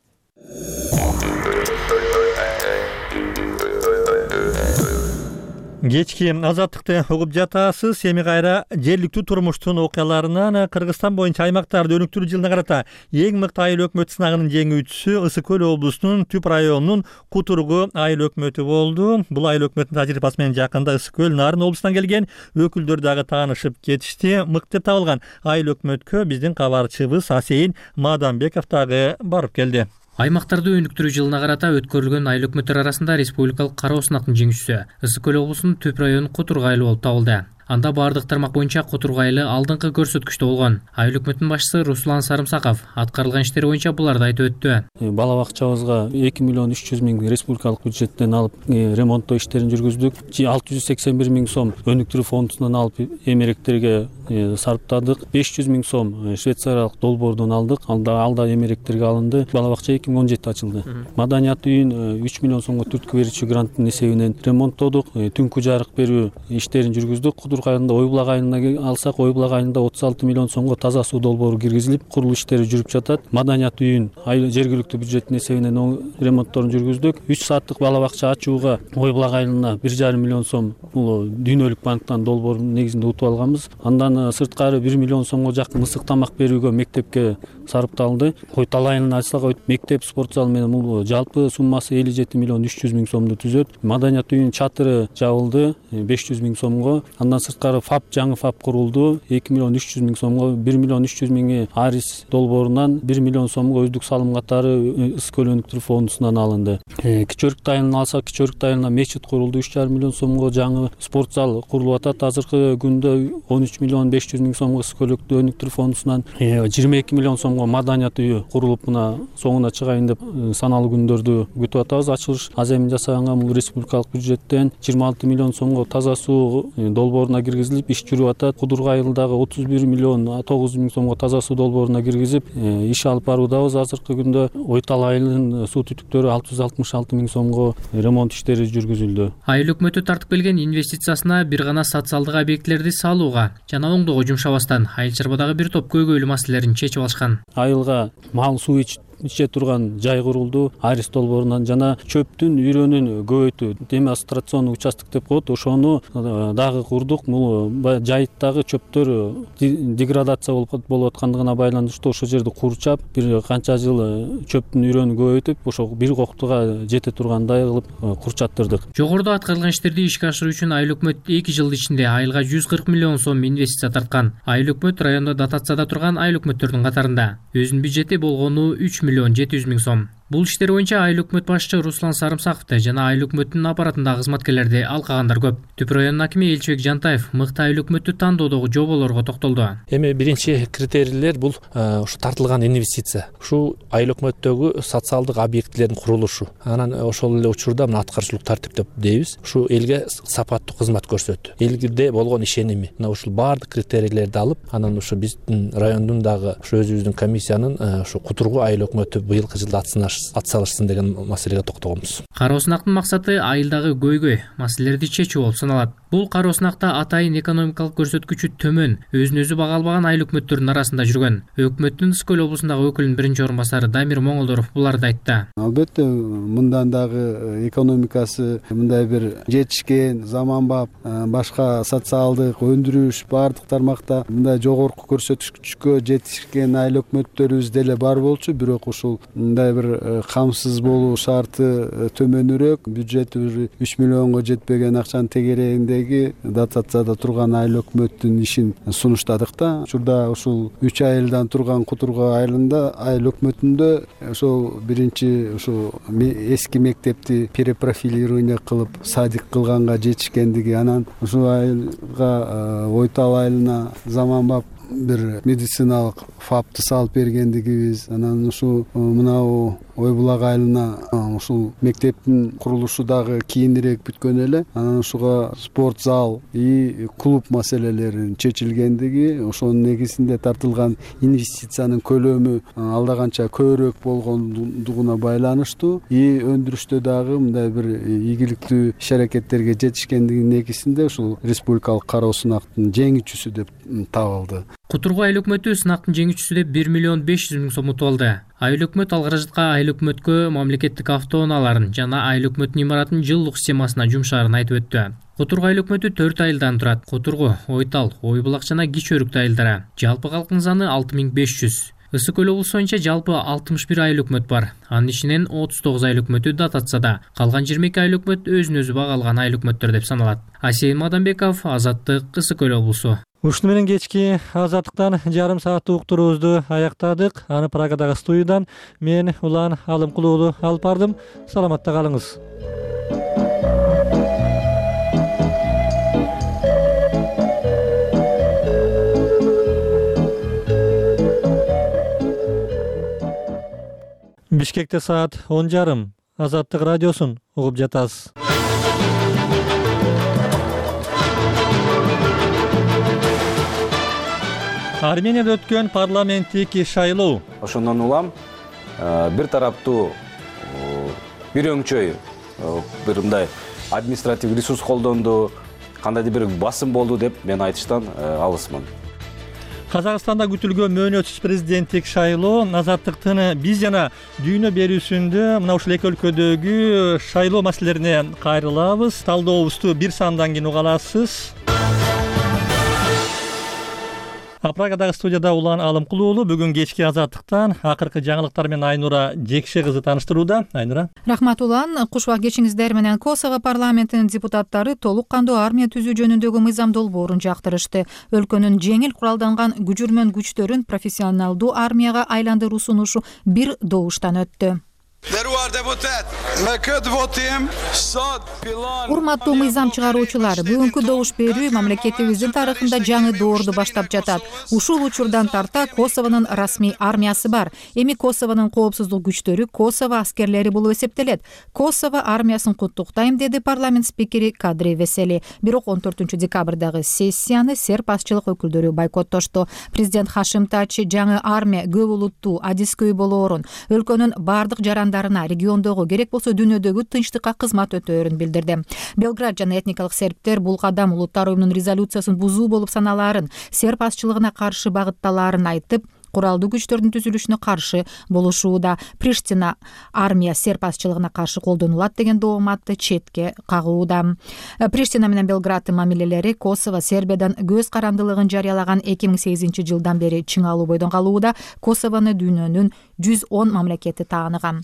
Кечки Азаттыкты угуп жатасыз. Эми кайра жергиликтүү турмуштун окуяларынан Кыргызстан боюнча аймактарды өнүктүрүү жылына карата эң мыкты айыл өкмөт сынагынын жеңүүчүсү Ысык көл облусунун Түп районунун Кутургу айыл өкмөтү болду. Бул айыл өкмөттүн тажрыйбасы менен жакында Ысык көл Нарын облусунан келген өкүлдөр дагы таанышып кетишти. Мыкты деп табылган айыл өкмөткө биздин кабарчыбыз Асейин Маданбеков дагы барып келди. Аймактарды өнүктүрүү жылына карата өткөрүлгөн айыл өкмөттөр арасында республикалык кароо сынактын жеңүүчүсү Ысык көл облусунун Түп районунун Кутургу айылы болуп табылды. Анда бардык тармак боюнча Кутургу айылы алдыңкы көрсөткүчтө болгон. Айыл өкмөтүнүн башчысы Руслан Сарымсаков аткарылган иштер боюнча буларды айтып өттү. Бала бакчабызга 2,3 миллион республикалык бюджеттен алып ремонттоо иштерин жүргүздүк. 681 миң сом өнүктүрүү фондунан алып эмеректерге сарптадык. 500 миң сом швейцариялык долбоордон алдык. Алда эмеректерге алынды. Бала бакча 2017 ачылды. Маданият үйүн 3 миллион сомго түрткү берүүчү гранттын эсебинен ремонттодук. Түнкү жарык берүү иштерин жүргүздүк. Кутургу айылында Ойбулак айылына алсак, Ойбулак айылында 36 миллион сомго таза суу долбоору киргизилип, курулуш иштери жүрүп жатат. Маданият үйүн жергиликтүү бюджеттин эсебинен ремонтторун жүргүздүк. 3 сааттык бала бакча ачууга Ойбулак айылына 1,5 миллион сом бул дүйнөлүк банктан долбоор негизинде утуп алганбыз. Андан сырткары 1 миллион сомго жакын ысык тамак берүүгө мектепке сарпталды. Койтал айылына ачсак, мектеп, спорт зал менен бул жалпы суммасы 57 миллион 300 миң сомду түзөт. Маданият үйүнүн чатыры жабылды 500 миң сомго. Андан сырткары жаңы ФАП курулду 2 миллион 300 миң сомго. 1 миллион 300 миңи Арис долбоорунан 1 миллион сомго өздүк салым катары Ысык көл өнүктүрүү фондунан алынды. Кичөрүк айылын алсак, Кичөрүк айылына мечит курулду 3,5 миллион сомго. Жаңы спорт зал курулуп атат. Азыркы күндө 13 миллион 500 миң сомго Ысык көл өнүктүрүү фондунан 22 миллион сомго Маданият үйү курулуп мына соңуна чыгайын деп саналуу күндөрдү күтүп атабыз. Ачылыш аземин жасаганга бул республикалык бюджеттен 26 миллион сомго таза суу долбооруна киргизилип иш жүрүп атат. Кудургу айылдагы 31 миллион 900 миң сомго таза суу долбооруна киргизип иш алып баруудабыз. Азыркы күндө Ойтал айылынын суу түтүктөрү 666 миң сомго ремонт иштери жүргүзүлдү. Айыл өкмөтү тартып келген инвестициясына бир гана социалдык объектилерди салууга жана оңдоого жумшабастан айыл чарбадагы бир топ көйгөйлүү маселелерин чечип алышкан. Айылга мал суу иче турган жай курулду Арис долбоорунан жана чөптүн үйрөнүн көбөйтүү демонстрационный участок деп коет, ошону дагы курдук. Бул жайыттагы чөптөр деградация болуп аткандыгына байланыштуу ошол жерди курчап бир канча жыл чөптүн үйрөнүн көбөйтүп ошо бир коктуга жете тургандай кылып курчаттырдык. Жогоруда аткарылган иштерди ишке ашыруу үчүн айыл өкмөт 2 жыл ичинде айылга 140 миллион сом инвестиция тарткан. Айыл өкмөт райондо дотацияда турган айыл өкмөттөрдүн катарында. Өзүнүн бюджети болгону 3 миллион 700 миң сом. Бул иштер боюнча айыл өкмөт башчы Руслан Сарымсаковду жана айыл өкмөтүнүн аппаратындагы кызматкерлерди алкагандар көп. Түп районунун акими Элчибек Жантаев мыкты айыл өкмөттү тандоодогу жоболорго токтолду. Эми биринчи критерийлер бул ушу тартылган инвестиция. Ушу айыл өкмөттөгү социалдык объектилердин курулушу. Анан ошол эле учурда мына аткарчылык тартип деп дейбиз. Ушу элге сапаттуу кызмат көрсөтүү. Элге болгон ишеними. Мына ушул баардык критерийлерди алып, анан ушу биздин райондун дагы ушу өзүбүздүн комиссиянын ушу Кутургу айыл өкмөтү быйылкы жылда атсалышсын деген маселеге токтогонбуз. Кароо сынактын максаты айылдагы көйгөй маселелерди чечүү болуп саналат. Бул кароо сынакта атайын экономикалык көрсөткүчү төмөн, өзүн өзү бага албаган айыл өкмөттөрдүн арасында жүргөн. Өкмөттүн Ысык көл облусундагы өкүлүнүн биринчи орун басары Дамир Моңолдоров буларды айтты. Албетте, мындан дагы экономикасы мындай бир жетишкен, заманбап, башка социалдык өндүрүш баардык тармакта мындай жогорку көрсөткүчкө жетишкен айыл өкмөттөрүбүз деле бар болчу, бирок ушул мындай бир камсыз болуу шарты төмөнүрөөк, бюджети 3 миллионго жетпеген акчанын тегерегиндеги дотацияда турган айыл өкмөттүн ишин сунуштадык да. Учурда ушул 3 айылдан турган Кутургу айылында айыл өкмөтүндө ошол биринчи ушу эски мектепти перепрофилирование кылып садик кылганга жетишкендиги, анан ушул айылга Ойтал айылына заманбап бир медициналык фапты салып бергендигибиз, анан ушул мынау Ой Булак айылына ушул мектептин курулушу дагы кийинирээк бүткөн эле, анан ушуга спорт зал и клуб маселелеринин чечилгендиги, ошонун негизинде тартылган инвестициянын көлөмү алда канча көбүрөөк болгондугуна байланыштуу и өндүрүштө дагы мындай бир ийгиликтүү иш аракеттерге жетишкендигинин негизинде ушул республикалык кароо сынактын жеңүүчүсү деп табылды. Кутургу айыл өкмөтү сынактын жеңүүчүсү деп 1 миллион 500 миң сом утуп алды. Айыл өкмөт ал каражатка айыл өкмөткө мамлекеттик автоунааларын жана айыл өкмөтүнүн имаратынын жылдык системасына жумшаарын айтып өттү. Кутургу айыл өкмөтү 4 айылдан турат. Кутургу, Ойтал, Ой Булак жана Кичи Өрүктүү айылдары. Жалпы калктын саны 6500. Ысык көл облусу боюнча жалпы 61 айыл өкмөт бар. Анын ичинен 39 айыл өкмөтү дотацияда, калган 22 айыл өкмөт өзүн өзү бага алган айыл өкмөттөр деп саналат. Асейин Мадамбеков, Азаттык, Ысык көл облусу. Ушуну менен кечки Азаттыктан жарым сааттык уктуруубузду аяктадык. Аны Прагадагы студиядан мен Улан Алымкулуулу алып бардым. Саламатта калыңыз. Бишкекте саат 10:30. Азаттык радиосун угуп жатасыз. Арменияда өткөн парламенттик шайлоо. Ошондон улам бир тараптуу, бир өңчөй, бир мындай административ ресурс колдонду, кандайдыр бир басым болду деп мен айтыштан алысмын. Казакстанда күтүлгөн мөөнөтсүз президенттик шайлоо Азаттыктын биз жана дүйнө берүүсүндө мына ушул эки өлкөдөгү шайлоо маселелерине кайрылабыз. Талдообузду бир сандан кийин уга аласыз. Прагадагы студияда Улан Алымкулуулу бүгүн кечки Азаттыктан акыркы жаңылыктар менен Айнура Жекше кызы тааныштырууда. Айнура. Рахмат Улан. Кушбак кечиңиздер менен Косово парламентинин депутаттары толук кандуу армия түзүү жөнүндөгү мыйзам долбоорун жактырышты. Өлкөнүн жеңил куралданган күжүрмөн күчтөрүн профессионалдуу армияга айландыруу сунушу бир добуштан өттү. Урматтуу мыйзам чыгаруучулар, бүгүнкү добуш берүү мамлекетибиздин тарыхында жаңы доорду баштап жатат. Ушул учурдан тарта Косовонун расмий армиясы бар. Эми Косовонун коопсуздук күчтөрү Косово аскерлери болуп эсептелет. Косово армиясын куттуктайм, деди парламент спикери Кадри Весели. Бирок 14 декабрдагы сессияны серб азчылык өкүлдөрү бойкоттошту. Президент Хашим Тачи жаңы армия көп улуттуу, адискөй болоорун, өлкөнүн бардык жарандарына, региондогу керек болсо дүйнөдөгү тынчтыкка кызмат өтөөрүн билдирди. Белград жана этникалык сербтер бул кадам улуттар оюнунун резолюциясын бузуу болуп саналаарын, серб азчылыгына каршы багытталаарын айтып, куралдуу күчтөрдүн түзүлүшүнө каршы болушууда. Приштина армия серб азчылыгына каршы колдонулат деген дооматты четке кагууда. Приштина менен Белграддын мамилелери Косово Сербиядан көз карандылыгын жарыялаган 2008 жылдан бери чыңалуу бойдон калууда. Косовону дүйнөнүн 110 мамлекети тааныган.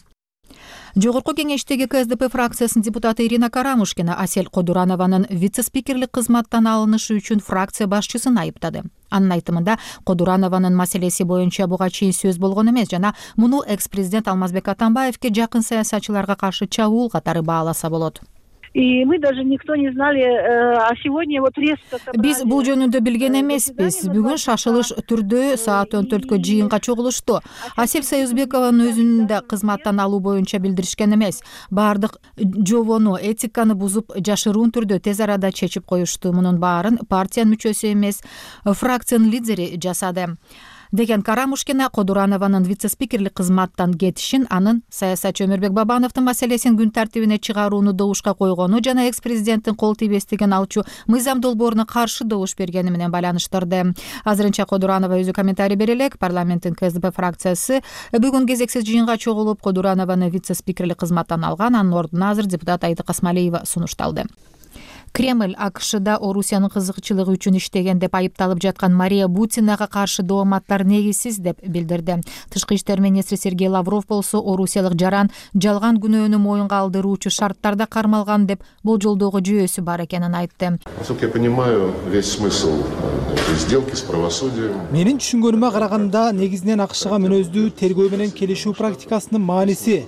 Жогорку кеңештеги КСДП фракциясынын депутаты Ирина Карамушкина Асель Кодуранованын вице-спикерлик кызматтан алынышы үчүн фракция башчысын айыптады. Анын айтымында Кодуранованын маселеси боюнча буга чейин сөз болгон эмес жана муну экс-президент Алмазбек Атамбаевке жакын саясатчыларга каршы чабуул катары бааласа болот. И мы даже никто не знали, а сегодня вот резко собрали. Биз бул жөнүндө билген эмеспиз. Бүгүн шашылыш түрдө саат 14 жыйынга чогулушту. Асель Союзбекованын өзүн да кызматтан алуу боюнча билдиришкен эмес. Бардык жобону, этиканы бузуп, жашыруун түрдө тез арада чечип коюшту. Мунун баарын партиянын мүчөсү эмес, фракциянын лидери жасады деген Карамушкина Кодуранованын вице-спикерлик кызматтан кетишин, анын саясатчы Өмүрбек Бабановдун маселесин күн тартибине чыгарууну добушка койгону жана экс-президенттин кол тийбестигин алчу мыйзам долбооруна каршы добуш бергени менен байланыштырды. Азырынча Кодуранова өзү комментарий бере элек. Парламенттин КСДП фракциясы бүгүн кезексиз жыйынга чогулуп, Кодуранованы вице-спикерлик кызматтан алган. Анын ордуна азыр депутат Айдык Асмалиева сунушталды. Кремль АКШда Орусиянын кызыкчылыгы үчүн иштеген деп айыпталып жаткан Мария Бутинага каршы дооматтар негизсиз деп билдирди. Тышкы иштер министри Сергей Лавров болсо орусиялык жаран жалган күнөөнү моюнга алдыруучу шарттарда кармалган деп болжолдоого жүйөсү бар экенин айтты. Насколько я понимаю, весь смысл этой сделки с правосудием. Менин түшүнгөнүмө караганда негизинен АКШга мүнөздүү тергөө менен келишүү практикасынын мааниси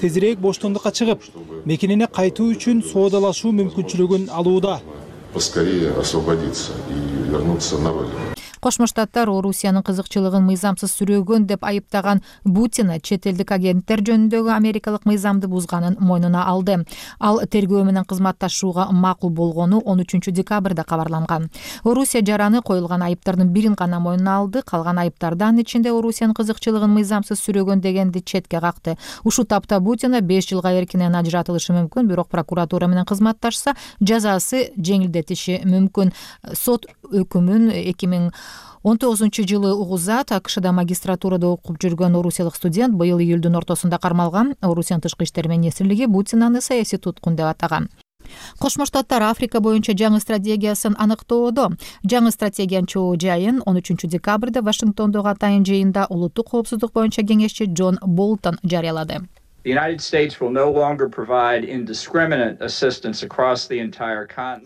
тезирээк боштондукка чыгып, мекенине кайтуу үчүн соодалашуу мүмкүнчүлүгүн алууда. Поскорее освободиться и вернуться на родину. Кошмо Штаттар Орусиянын кызыкчылыгын мыйзамсыз сүрөөгөн деп айыптаган Путин чет элдик агенттер жөнүндөгү америкалык мыйзамды бузганын мойнуна алды. Ал тергөө менен кызматташууга макул болгону 13 декабрда кабарланган. Орусия жараны коюлган айыптардын бирин гана мойнуна алды, калган айыптардан ичинде Орусиянын кызыкчылыгын мыйзамсыз сүрөөгөн дегенди четке какты. Ушул тапта Путин 5 жылга эркинен ажыратылышы мүмкүн, бирок прокуратура менен кызматташса жазасы жеңилдетиши мүмкүн. Сот өкүмүн 2019-жылы угузат. АКШда магистратурада окуп жүргөн орусиялык студент быйыл июлдун ортосунда кармалган. Орусиянын тышкы иштер министрлиги Путин аны саясий туткун деп атаган. Кошмо Штаттар Африка боюнча жаңы стратегиясын аныктоодо. Жаңы стратегиянын чоо жайын 13 декабрда Вашингтондогу атайын жыйында улуттук коопсуздук боюнча кеңешчи Джон Болтон жарыялады.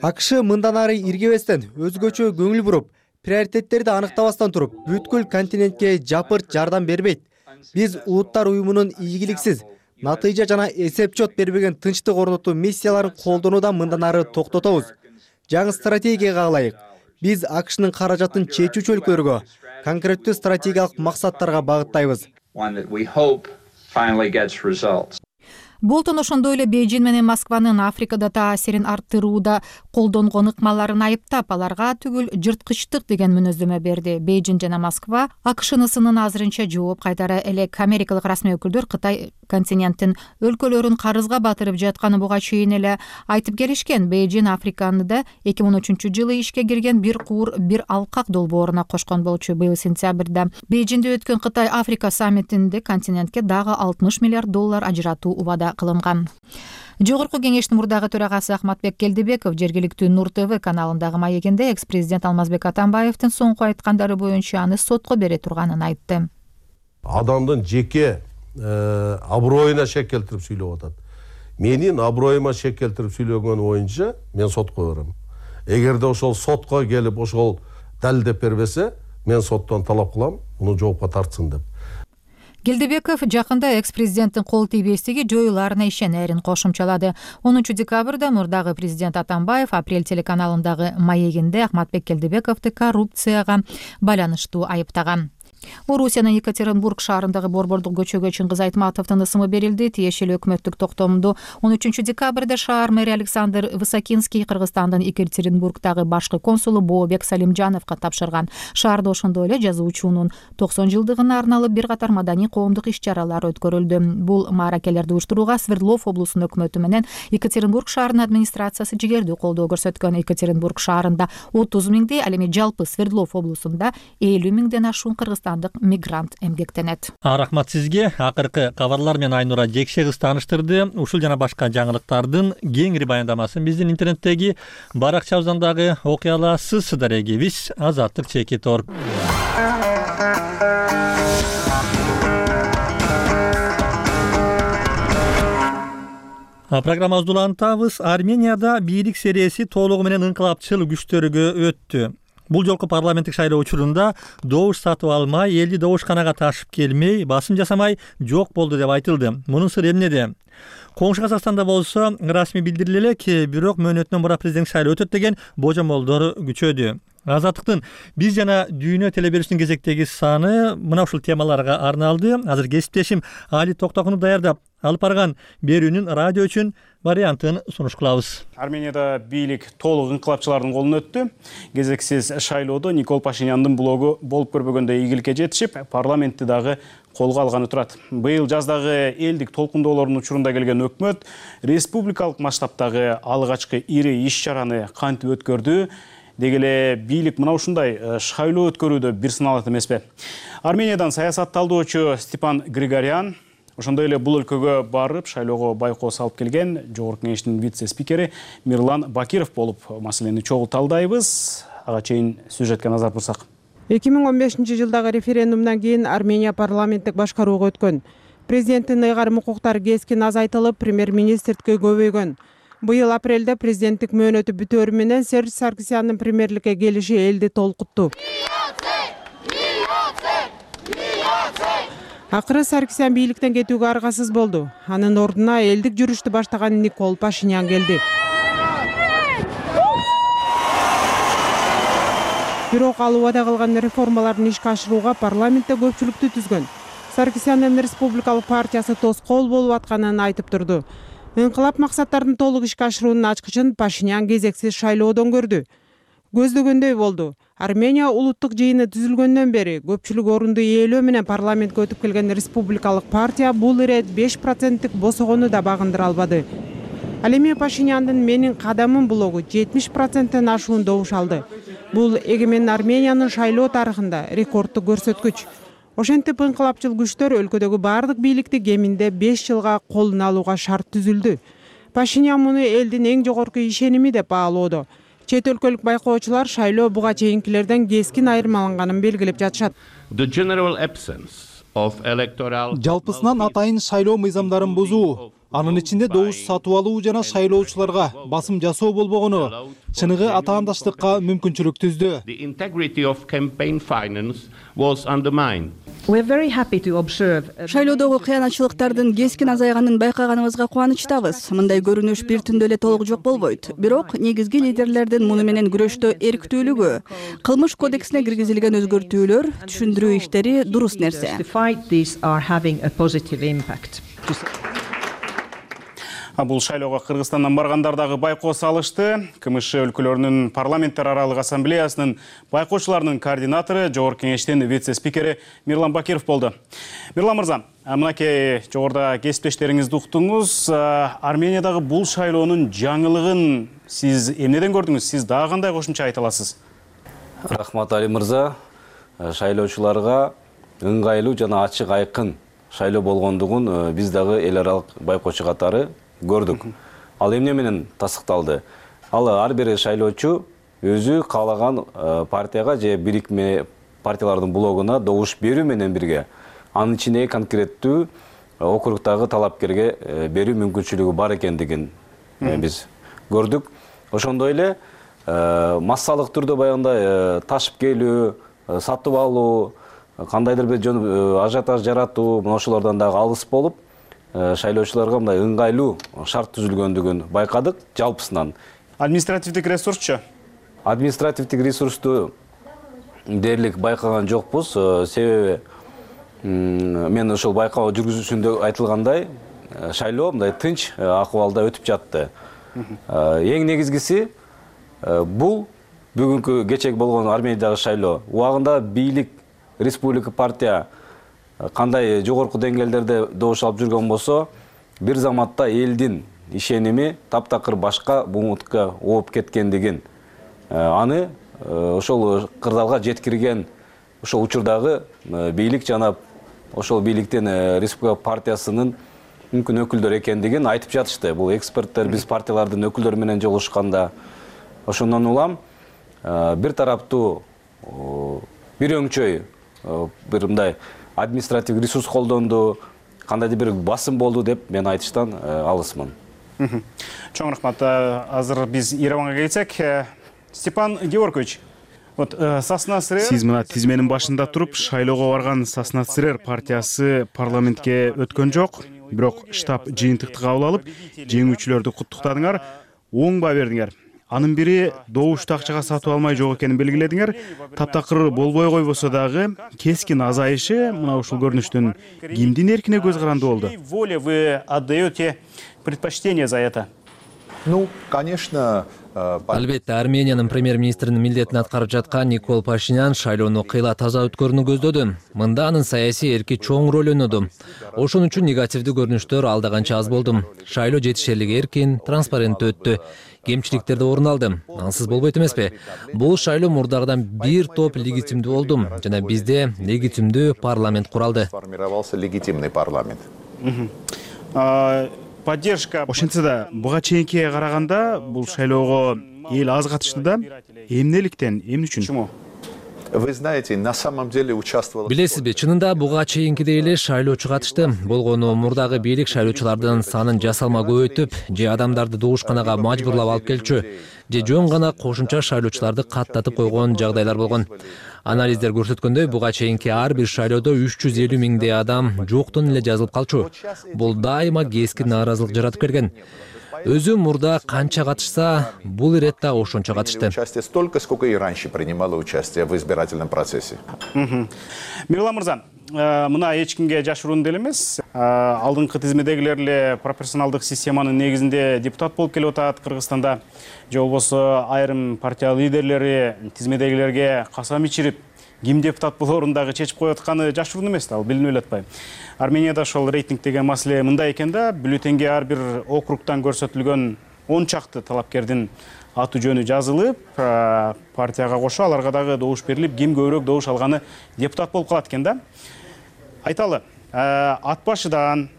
АКШ мындан ары иргебестен, өзгөчө көңүл буруп, приоритеттерди аныктабастан туруп, бүткүл континентке жапырт жардам бербейт. Биз Улуттар уюмунун ийгиликсиз, натыйжа жана эсеп-чот бербеген тынчтык орнотуу миссияларын колдонуудан мындан ары токтотобуз. Жаңы стратегияга ылайык, биз АКШнын каражатын чечүүчү өлкөлөргө, конкреттүү стратегиялык максаттарга багыттайбыз. Болтон ошондой эле Бейжин менен Москванын Африкада таасирин арттырууда колдонгон ыкмаларын айыптап, аларга түгүл жырткычтык деген мүнөздөмө берди. Бейжин жана Москва АКШнын сынын азырынча жооп кайтара элек. Америкалык расмий өкүлдөр Кытай континенттин өлкөлөрүн карызга батырып жатканын буга чейин эле айтып келишкен. Бейжин Африканды 2013-жылы ишке кирген бир куур, бир алкак долбооруна кошкон болчу. Быйыл сентябрда Бейжинде өткөн Кытай Африка саммитинде континентке дагы $60 миллиард ажыратуу убада кылынган. Жогорку кеңештин мурдагы төрагасы Ахматбек Келдибеков жергиликтүү Нур ТВ каналындагы маегинде экс-президент Алмазбек Атамбаевдин соңку айткандары боюнча аны сотко бере турганын айтты. Адамдын жеке аброюна шек келтирип сүйлөп атат. Менин аброюма шек келтирип сүйлөгөн боюнча мен сотко берем. Эгерде ошол сотко келип ошол далилдеп бербесе, мен соттон талап кылам, муну жоопко тартсын деп. Келдибеков жакында экс-президенттин кол тийбестиги жоюларына ишенерин кошумчалады. 10 декабрда мурдагы президент Атамбаев Апрель телеканалындагы маегинде Ахматбек Келдибековду коррупцияга байланыштуу айыптаган. Орусиянын Екатеринбург шаарындагы борбордук көчөгө Чыңгыз Айтматовдун ысымы берилди. Тиешелүү өкмөттүк токтомду 13 декабрда шаар мэри Александр Высокинский Кыргызстандын Екатеринбургдагы башкы консулу Бообек Салимжановго тапшырган. Шаарда ошондой эле жазуучунун 90 жылдыгына арналып бир катар маданий коомдук иш-чаралар өткөрүлдү. Бул мааракелерди уюштурууга Свердлов облусунун өкмөтү менен Екатеринбург шаарынын администрациясы жигердүү колдоо көрсөткөн. Екатеринбург шаарында 30 миңдей, ал эми жалпы Свердлов облусунда 50 миңден ашуун кыргызстандык мигрант эмгектенет. Рахмат сизге. Акыркы кабарлар менен Айнура Жекше кыз тааныштырды. Ушул жана башка жаңылыктардын кеңири баяндамасын биздин интернеттеги баракчабыздан дагы окуй аласыз. Сыдар эгебиз Азаттык чеки тор. Программабызды улантабыз. Арменияда бийлик серияси толугу менен ыңкылапчыл күчтөргө өттү. Бул жолку парламенттик шайлоо учурунда добуш сатып алмай, элди добушканага ташып келмей, басым жасамай жок болду деп айтылды. Мунун сыры эмнеде? Коңшу Казакстанда болсо расмий билдириле элек, бирок мөөнөтүнөн бура президенттик шайлоо өтөт деген божомолдор күчөдү. Азаттыктын биз жана дүйнө телеберүүсүнүн кезектеги саны мына ушул темаларга арналды. Азыр кесиптешим Али Токтокунов даярдап алып барган берүүнүн радио үчүн вариантын сунуш кылабыз. Арменияда бийлик толук ыңкылапчылардын колуна өттү. Кезексиз шайлоодо Никол Пашиняндын блогу болуп көрбөгөндө ийгиликке жетишип, парламентти дагы колго алганы турат. Быйыл жаздагы элдик толкундоолордун учурунда келген өкмөт республикалык масштабтагы алгачкы ири иш-чараны кантип өткөрдү? Деги эле бийлик мына ушундай шайлоо өткөрүүдө бир сыналат эмеспи? Армениядан саясатталдоочу Степан Григорян ошондой эле бул өлкөгө барып шайлоого байкоо салып келген Жогорку кеңештин вице-спикери Мирлан Бакиров болуп маселени чогуу талдайбыз. Ага чейин сюжетке назар бурсак. 2015-жылдагы референдумдан кийин Армения парламенттик башкарууга өткөн. Президенттин ыйгарым укуктары кескин азайтылып, премьер-министрдикке көбөйгөн. Быйыл апрелде президенттик мөөнөтү бүтөөрү менен Серж Саркисяндын премьерликке келиши элди толкутту. Акыры Саркисян бийликтен кетүүгө аргасыз болду. Анын ордуна элдик жүрүштү баштаган Никол Пашинян келди. Бирок ал убада кылган реформалардын ишке ашырууга парламентте көпчүлүктү түзгөн. Саркисяндын Республикалык партиясы тоскоол болуп атканын айтып турду. Инкылап максаттарын толук ишке ашыруунун ачкычын Пашинян кезексиз шайлоодон көрдү. Көздөгөндөй болду. Армения улуттук жыйыны түзүлгөндөн бери көпчүлүк орунду ээлөө менен парламентке өтүп келген Республикалык партия бул ирет 5%тик босогону да багындыра албады. Ал эми Пашиняндын «Менин кадамым» блогу 70%тен ашуун добуш алды. Бул эгемен Армениянын шайлоо тарыхында рекордтук көрсөткүч. Ошентип инкылапчыл күчтөр өлкөдөгү бардык бийликти кеминде 5 жылга колуна алууга шарт түзүлдү. Пашинян муну элдин эң жогорку ишеними деп баалоодо. Чет өлкөлүк байкоочулар шайлоо буга чейинкилерден кескин айырмаланганын белгилеп жатышат. Жалпысынан атайын шайлоо мыйзамдарын бузуу, анын ичинде добуш сатып алуу жана шайлоочуларга басым жасоо болбогону чыныгы атаандаштыкка мүмкүнчүлүк түздү. Шайлоодогу кыянатчылыктардын кескин азайганын байкаганыбызга кубанычтабыз. Мындай көрүнүш бир түндө эле толук жок болбойт. Бирок негизги лидерлердин муну менен күрөштө эрктүүлүгү, кылмыш кодексине киргизилген өзгөртүүлөр, түшүндүрүү иштери дурус нерсе. Бул шайлоого Кыргызстандан баргандар дагы байкоо салышты. КМШ өлкөлөрүнүн парламенттер аралык ассамблеясынын байкоочуларынын координатору, жогорку кеңештин вице-спикери Мирлан Бакиров болду. Мирлан мырза, мынакей жогоруда кесиптештериңизди уктуңуз. Армениядагы бул шайлоонун жаңылыгын сиз эмнеден көрдүңүз? Сиз дагы кандай кошумча айта аласыз? Рахмат Али мырза. Шайлоочуларга ыңгайлуу жана ачык айкын шайлоо болгондугун биз дагы эл аралык байкоочу катары көрдүк. Ал эмне менен тасыкталды? Ал ар бир шайлоочу өзү каалаган партияга же бирикме партиялардын блогуна добуш берүү менен бирге анын ичине конкреттүү округдагы талапкерге берүү мүмкүнчүлүгү бар экендигин биз көрдүк. Ошондой эле массалык түрдө баягындай ташып келүү, сатып алуу, кандайдыр бир ажиотаж жаратуу, мына ошолордон дагы алыс болуп, шайлоочуларга мындай ыңгайлуу шарт түзүлгөндүгүн байкадык жалпысынан. Административдик ресурсчу? Административдик ресурсту дээрлик байкаган жокпуз. Себеби мен ошол байкоо жүргүзүүсүндө айтылгандай, шайлоо мындай тынч акыбалда өтүп жатты. Эң негизгиси бул бүгүнкү кечеги болгон Армениядагы шайлоо. Убагында бийлик республика партия кандай жогорку деңгээлдерде добуш алып жүргөн болсо, бир заматта элдин ишеними таптакыр башка бумутка ооп кеткендигин, аны ошол кырдаалга жеткирген ошол учурдагы бийлик жана ошол бийликтин республика партиясынын мүмкүн өкүлдөр экендигин айтып жатышты. Бул эксперттер биз партиялардын өкүлдөрү менен жолугушканда. Ошондон улам бир тараптуу, бир өңчөй бир мындай административ ресурс колдонду, кандайдыр бир басым болду деп мен айтыштан алысмын. Чоң рахмат. Азыр биз Ереванга келсек, Степан Георгиевич, сиз мына тизменин башында туруп, шайлоого барган Соснацрер партиясы парламентке өткөн жок, бирок штаб жыйынтыкты кабыл алып, жеңүүчүлөрдү куттуктадыңар, оң баа бердиңер. Анын бири добушту акчага сатып алмай жок экенин белгиледиңер. Таптакыр болбой койбосо дагы кескин азайышы мына ушул көрүнүштүн кимдин эркине көз каранды болду? Воле вы отдаете предпочтение за это? Ну, конечно, Албетте, Армениянын премьер-министринин милдетин аткарып жаткан Никол Пашинян шайлоону кыйла таза өткөрүүнү көздөдү. Мында анын саясий эрки чоң роль ойноду. Ошон үчүн негативдүү көрүнүштөр алда канча аз болду. Шайлоо жетишерлик эркин, транспаренттүү өттү. Кемчиликтер да орун алды. Ансыз болбойт эмеспи? Бул шайлоо мурдагыдан бир топ легитимдүү болду жана бизде легитимдүү парламент куралды. Сформировался легитимный парламент. Поддержка. Ошентсе да, буга чейинкиге караганда бул шайлоого эл аз катышты да. Эмнеликтен, эмне үчүн? Вы знаете, на самом деле участвовало... Билесизби, чынында буга чейинкидей эле шайлоочу катышты. Болгону мурдагы бийлик шайлоочулардын санын жасалма көбөйтүп, же адамдарды добушканага мажбурлап алып келчү, же жөн гана кошумча шайлоочуларды каттатып койгон жагдайлар болгон. Анализдер көрсөткөндөй, буга чейинки ар бир шайлоодо 350 миңдей адам жоктон эле жазылып калчу. Бул дайыма кескин нааразылык жаратып келген. Өзү мурда канча катышса, бул ирет да ошончо катышты. Столько, сколько и раньше принимало участие в избирательном процессе. Мирлан мырза, мына эч кимге жашыруун деле эмес. Алдыңкы тизмедегилер эле пропорционалдык системанын негизинде депутат болуп келип атат Кыргызстанда. Же болбосо айрым партия лидерлери тизмедегилерге касам ичирип, ким депутат болоорун дагы чечип коюп атканы жашыруун эмес да, ал билинип эле атпайбы. Арменияда ошол рейтинг деген маселе мындай экен да, бюллетенге ар бир округтан көрсөтүлгөн 10 чакты талапкердин аты жөнү жазылып, партияга кошо аларга дагы добуш берилип, ким көбүрөөк добуш алганы депутат болуп калат экен да. Айталы, ат башыдан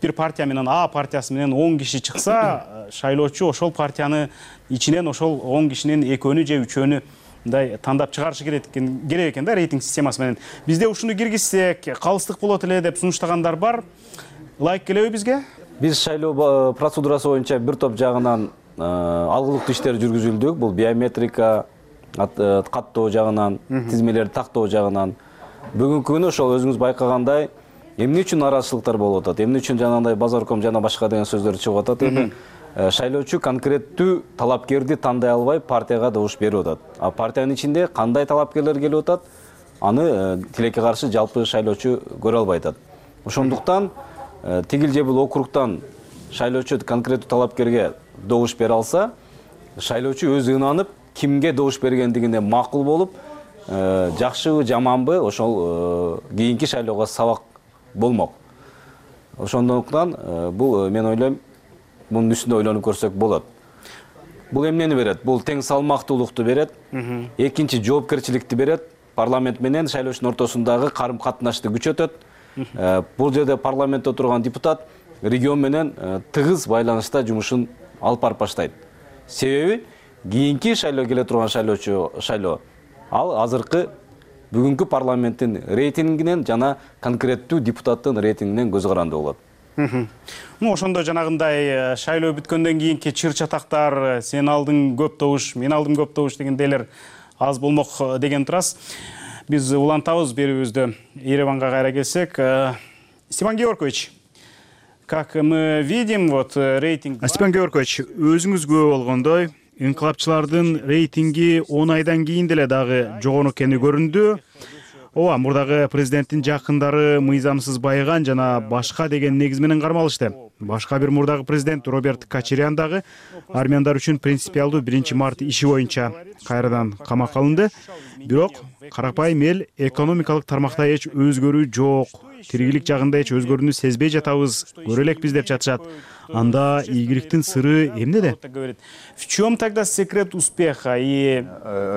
бир партия менен А партиясы менен 10 киши чыкса, шайлоочу ошол партияны ичинен ошол 10 кишинин экөөнү же үчөөнү мындай тандап чыгарышы керек экен да, рейтинг системасы менен. Бизде ушуну киргизсек, калыстык болот эле деп сунуштагандар бар. Ылайык келеби бизге? Биз шайлоо процедурасы боюнча бир топ жагынан алгылыктуу иштер жүргүзүлдүк. Бул биометрика, каттоо жагынан, тизмелерди тактоо жагынан. Бүгүнкү күнү ошол өзүңүз байкагандай, эмне үчүн нараазычылыктар болуп атат, эмне үчүн жанагындай базарком жана башка деген сөздөр чыгып атат. Эми шайлоочу конкреттүү талапкерди тандай албай партияга добуш берип атат. А партиянын ичинде кандай талапкерлер келип атат, аны тилекке каршы жалпы шайлоочу көрө албай атат. Ошондуктан тигил же бул округтан шайлоочу конкреттүү талапкерге добуш бере алса, шайлоочу өзү ынанып, кимге добуш бергендигине макул болуп, жакшыбы, жаманбы, ошол кийинки шайлоого сабак болмок. Ошондуктан бул мен ойлойм, bunun üstünde ойлонуп көрсөк болот. Бул эмнени берет? Бул тең салмактуулукту берет. Экинчи жоопкерчиликти берет. Парламент менен шайлоочунун ортосундагы карым катнашты күчөтөт. Бул жерде парламентте отурган депутат регион менен тыгыз байланышта жумушун алып барып баштайт. Себеби кийинки шайлоо келе турган шайлоо ал азыркы бүгүнкү парламенттин рейтингинен жана конкреттүү депутаттын рейтингинен көз каранды болот. Ошондо жанагындай шайлоо бүткөндөн кийинки чыр-чатактар, сен алдың көп добуш, мен алдым көп добуш дегендейлер аз болмок деген турасыз. Биз улантабыз берүүбүздү. Ереванга кайра келсек, Степан Георгиевич, как мы видим, вот рейтинг... Степан Георгиевич, өзүңүз күбө болгондой, инкылапчылардын рейтинги 10 айдан кийин деле дагы жогору экени көрүндү. Ооба, мурдагы президенттин жакындары мыйзамсыз байыган жана башка деген негиз менен кармалышты. Башка бир мурдагы президент Роберт Кочарян дагы армяндар үчүн принципиалдуу 1-март иши боюнча кайрадан камакка алынды. Бирок карапайым эл экономикалык тармакта эч өзгөрүү жок, тиригилик жагында эч өзгөрүүнү сезбей жатабыз, көрө элекпиз деп жатышат. Анда ийгиликтин сыры эмнеде? В чем тогда секрет успеха? И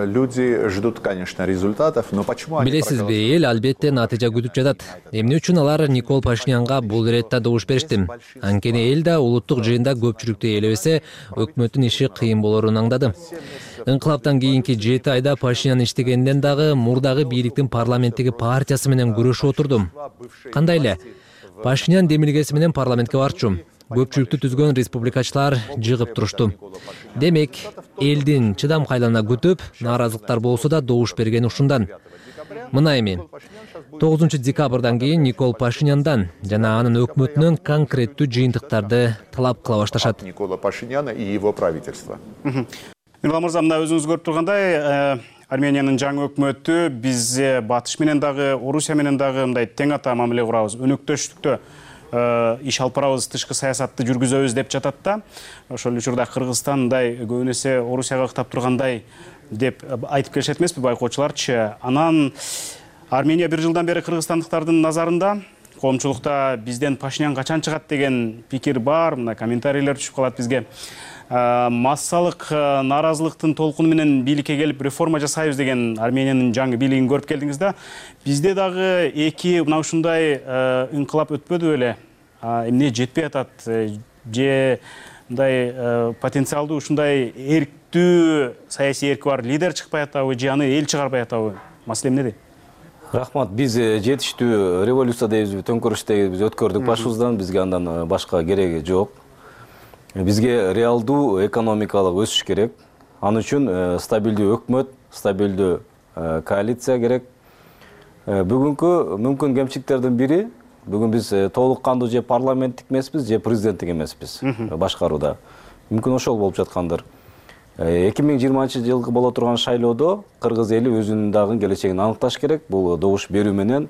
люди ждут, конечно, результатов, но почему они... Билесизби, эл албетте натыйжа күтүп жатат. Эмне үчүн алар Никол Пашинянга бул иретте добуш беришти? Анткени эл да улуттук жыйында көпчүлүктү ээлебесе, өкмөттүн иши кыйын болорун аңдады. Инкылаптан кийинки 7 айда Пашинян иштегенден дагы мурдагы бийликтин парламенттеги партиясы менен күрөшүп отурдум. Кандай эле? Пашинян демилгеси менен парламентке барчу. Көпчүлүктү түзгөн республикачылар жыгып турушту. Демек, элдин чыдамкайлана күтүп, нааразылыктар болсо да добуш берген ушундан. Мына эми 9 декабрдан кийин Никол Пашиняндан жана анын өкмөтүнөн конкреттүү жыйынтыктарды талап кыла башташат. Никола Пашиняна и его правительство. Мирлан мырза, мына өзүңүз көрүп тургандай, Армениянын жаңы өкмөтү бизге Батыш менен дагы, Орусия менен дагы мындай тең ата мамиле курабыз, өнөктөштүктө иш алып барабыз, тышкы саясатты жүргүзөбүз деп жатат да. Ошол учурда Кыргызстан мындай көбүн эсе Орусияга ыктап тургандай деп айтып келишет эмеспи байкоочуларчы. Анан Армения 1 жылдан бери кыргызстандыктардын назарында, коомчулукта бизден Пашинян качан чыгат деген пикир бар, мына комментарийлер түшүп калат бизге. Массалык нааразылыктын толкуну менен бийликке келип реформа жасайбыз деген Армениянын жаңы бийлигин көрүп келдиңиз да. Бизде дагы эки мына ушундай инкылап өтпөдү беле? Эмне жетпей атат? Же мындай потенциалдуу ушундай эрктүү саясий эрки бар лидер чыкпай атабы, же аны эл чыгарбай атабы? Маселе эмнеде? Рахмат, биз жетиштүү революция дейбизби, төңкөрүш дейбиз өткөрдүк башыбыздан, бизге андан башка кереги жок. Бизге реалдуу экономикалык өсүш керек. Аны үчүн стабилдүү өкмөт, стабилдүү коалиция керек. Бүгүнкү мүмкүн кемчиликтердин бири, бүгүн биз толук кандуу же парламенттик эмеспиз, же президенттик эмеспиз башкарууда. Мүмкүн ошол болуп жаткандыр. 2020-жылкы боло турган шайлоодо кыргыз эли өзүнүн дагы келечегин аныкташ керек. Бул добуш берүү менен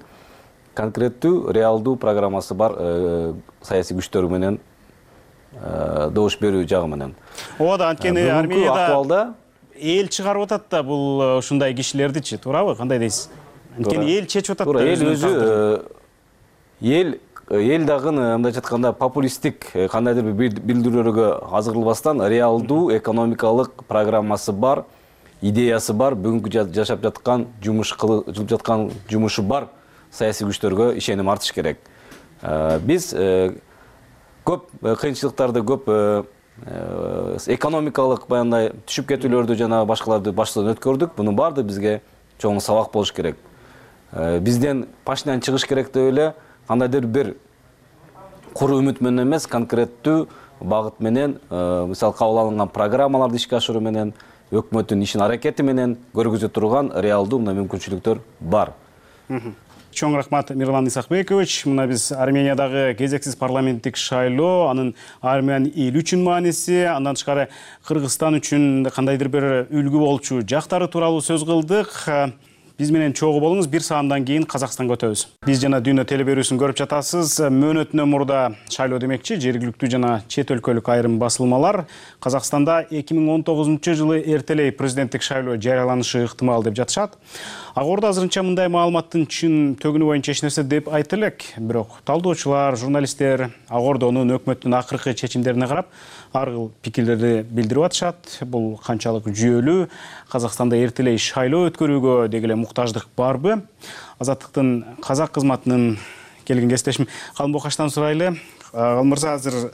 конкреттүү, реалдуу программасы бар саясий күчтөр менен добуш берүү жагы менен. Ооба, анткени Арменияда акыбалда эл чыгарып атат да бул ушундай кишилердичи, туурабы? Кандай дейсиз? Анткени эл чечип атат да. Эл өзү эл дагы мындайча айтканда популисттик кандайдыр бир билдирүүлөргө азгырылбастан реалдуу экономикалык программасы бар, идеясы бар, бүгүнкү жашап жаткан жылып жаткан жумушу бар саясий күчтөргө ишеним артыш керек. Биз көп кыйынчылыктарды, көп экономикалык баягындай түшүп кетүүлөрдү жана башкаларды баштан өткөрдүк. Мунун баары бизге чоң сабак болуш керек. Бизден Пашинян чыгыш керек деп эле кандайдыр бир куру үмүт менен эмес, конкреттүү багыт менен, мисалы кабыл алынган программаларды ишке ашыруу менен, өкмөттүн ишин аракети менен көргөзө турган реалдуу мүмкүнчүлүктөр бар. Чоң рахмат, Мирлан Исакбекович. Мына биз Армениядагы кезексиз парламенттик шайлоо, анын Армян эли үчүн мааниси, андан тышкары Кыргызстан үчүн кандайдыр бир үлгү болчу жактары тууралуу сөз кылдык. Биз менен чогуу болуңуз, 1 саамдан кийин Казакстанга өтөбүз. Биз жана Дүйнө телеберүүсүн көрүп жатасыз. Мөөнөтүнөн мурда шайлоо демекчи, жергиликтүү жана чет өлкөлүк айрым басылмалар Казакстанда 2019-жылы эртелей президенттик шайлоо жарыяланышы ыктымал деп жатышат. Агорда азырынча мындай маалыматтын чын төгүнү боюнча эч нерсе деп айта элек. Бирок талдоочулар, журналисттер Агордонун өкмөттүн акыркы чечимдерине карап ар кыл пикирлерди билдирип атышат. Бул канчалык жүйөлүү, Казакстанда эртелей шайлоо өткөрүүгө деги эле муктаждык барбы? Азаттыктын казак кызматынын келген кесиптешим Калым Бокаштан сурайлы. Калым мырза, азыр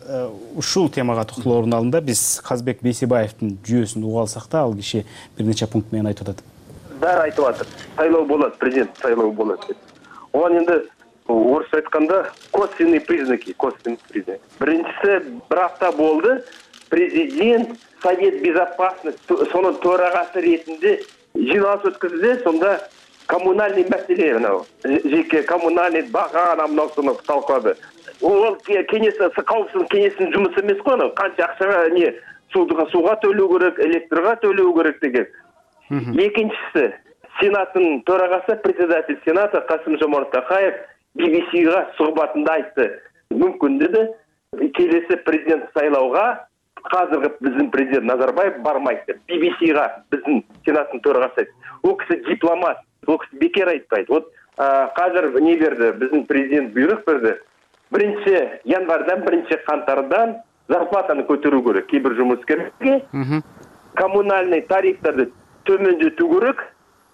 ушул темага токтолуу орун алында биз Казбек Бейсебаевдин жүйөсүн угуп алсак да, ал киши бир нече пункт менен айтып атат. Баары айтып атат. Сайлоо болот, президент сайлоо болот деп. Оған енді орысша айтканда косвенный признаки. Биринчиси, бир апта болды, президент Совет Безопасности сонун төрагасы ретинде жиналыс өткөздү, сонда коммунальный маселе, жеке коммунальный бага намносуну талкуулады. Ол кауіпсіздік кеңесінің жұмысы емес қой, қанша ақшаға не суға төлеу керек, электрға төлеу керек деген. Екіншісі, Сенаттың төрағасы, председатель Сената Касым-Жомарт Токаев BBC-ға сұхбатында айтты. Мүмкін деді, келесі президент сайлауға қазіргі біздің президент Назарбаев бармайды. BBC-ға біздің Сенаттың төрағасы айтты. Ол кісі дипломат, ол кісі бекер айтпайды. Вот қазір не берді, біздің президент бұйрық берді. 1 январдан 1 қаңтардан зарплатаны көтеру керек. Кейбір жұмыскерге коммунальный тарифтарды төмендету керек,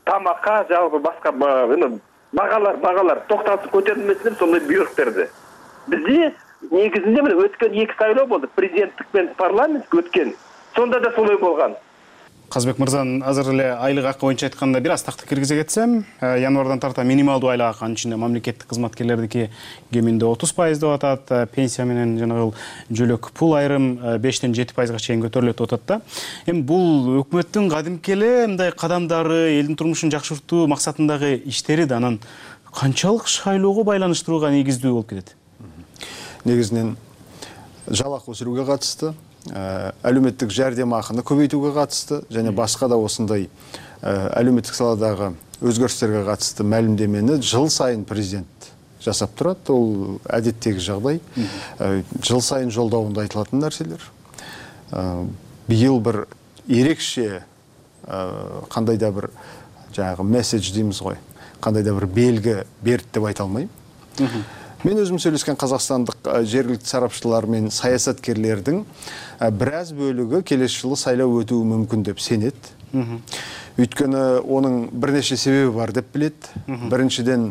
тамаққа жалпы басқа бағалар тоқтатып көтерілмесін сондай бұйрық берді. Бізде негізінде міне өткен 2 сайлау болды, президенттік пен парламент өткен. Сонда да солай болған. Казбек мырзанын азыр эле айлык акы боюнча айтканда бир аз такты киргизе кетсем, январдан тарта минималдуу айлык акы, анын ичинде мамлекеттик кызматкерлердики кеминде 30% деп атат, пенсия менен жанагы жөлөк пул айрым 5-тен 7%га чейин көтөрүлөт деп атат да. Эми бул өкмөттүн кадимки эле мындай кадамдары, элдин турмушун жакшыртуу максатындагы иштери да анан канчалык шайлоого байланыштырууга негиздүү болуп кетет? Негизинен жалакы өсүрүүгө катышты, әлеуметтік жәрдемақыны көбейтуге қатысты, және басқа да осындай әлеуметтік саладағы өзгерістерге қатысты мәлімдемені жыл сайын президент жасап тұрады. Ол әдеттегі жағдай. Жыл сайын жолдауында айтылатын нәрселер. Биыл бір ерекше қандай да бір жаңағы месседж дейміз ғой, қандай да бір белгі берді деп айта алмаймын. Мен өзім сөйлескен қазақстандық жергілікті сарапшылар мен саясаткерлердің біраз бөлігі келесі жылы сайлау өтуі мүмкін деп сенеді. Өйткені оның бірнеше себебі бар деп біледі. Біріншіден,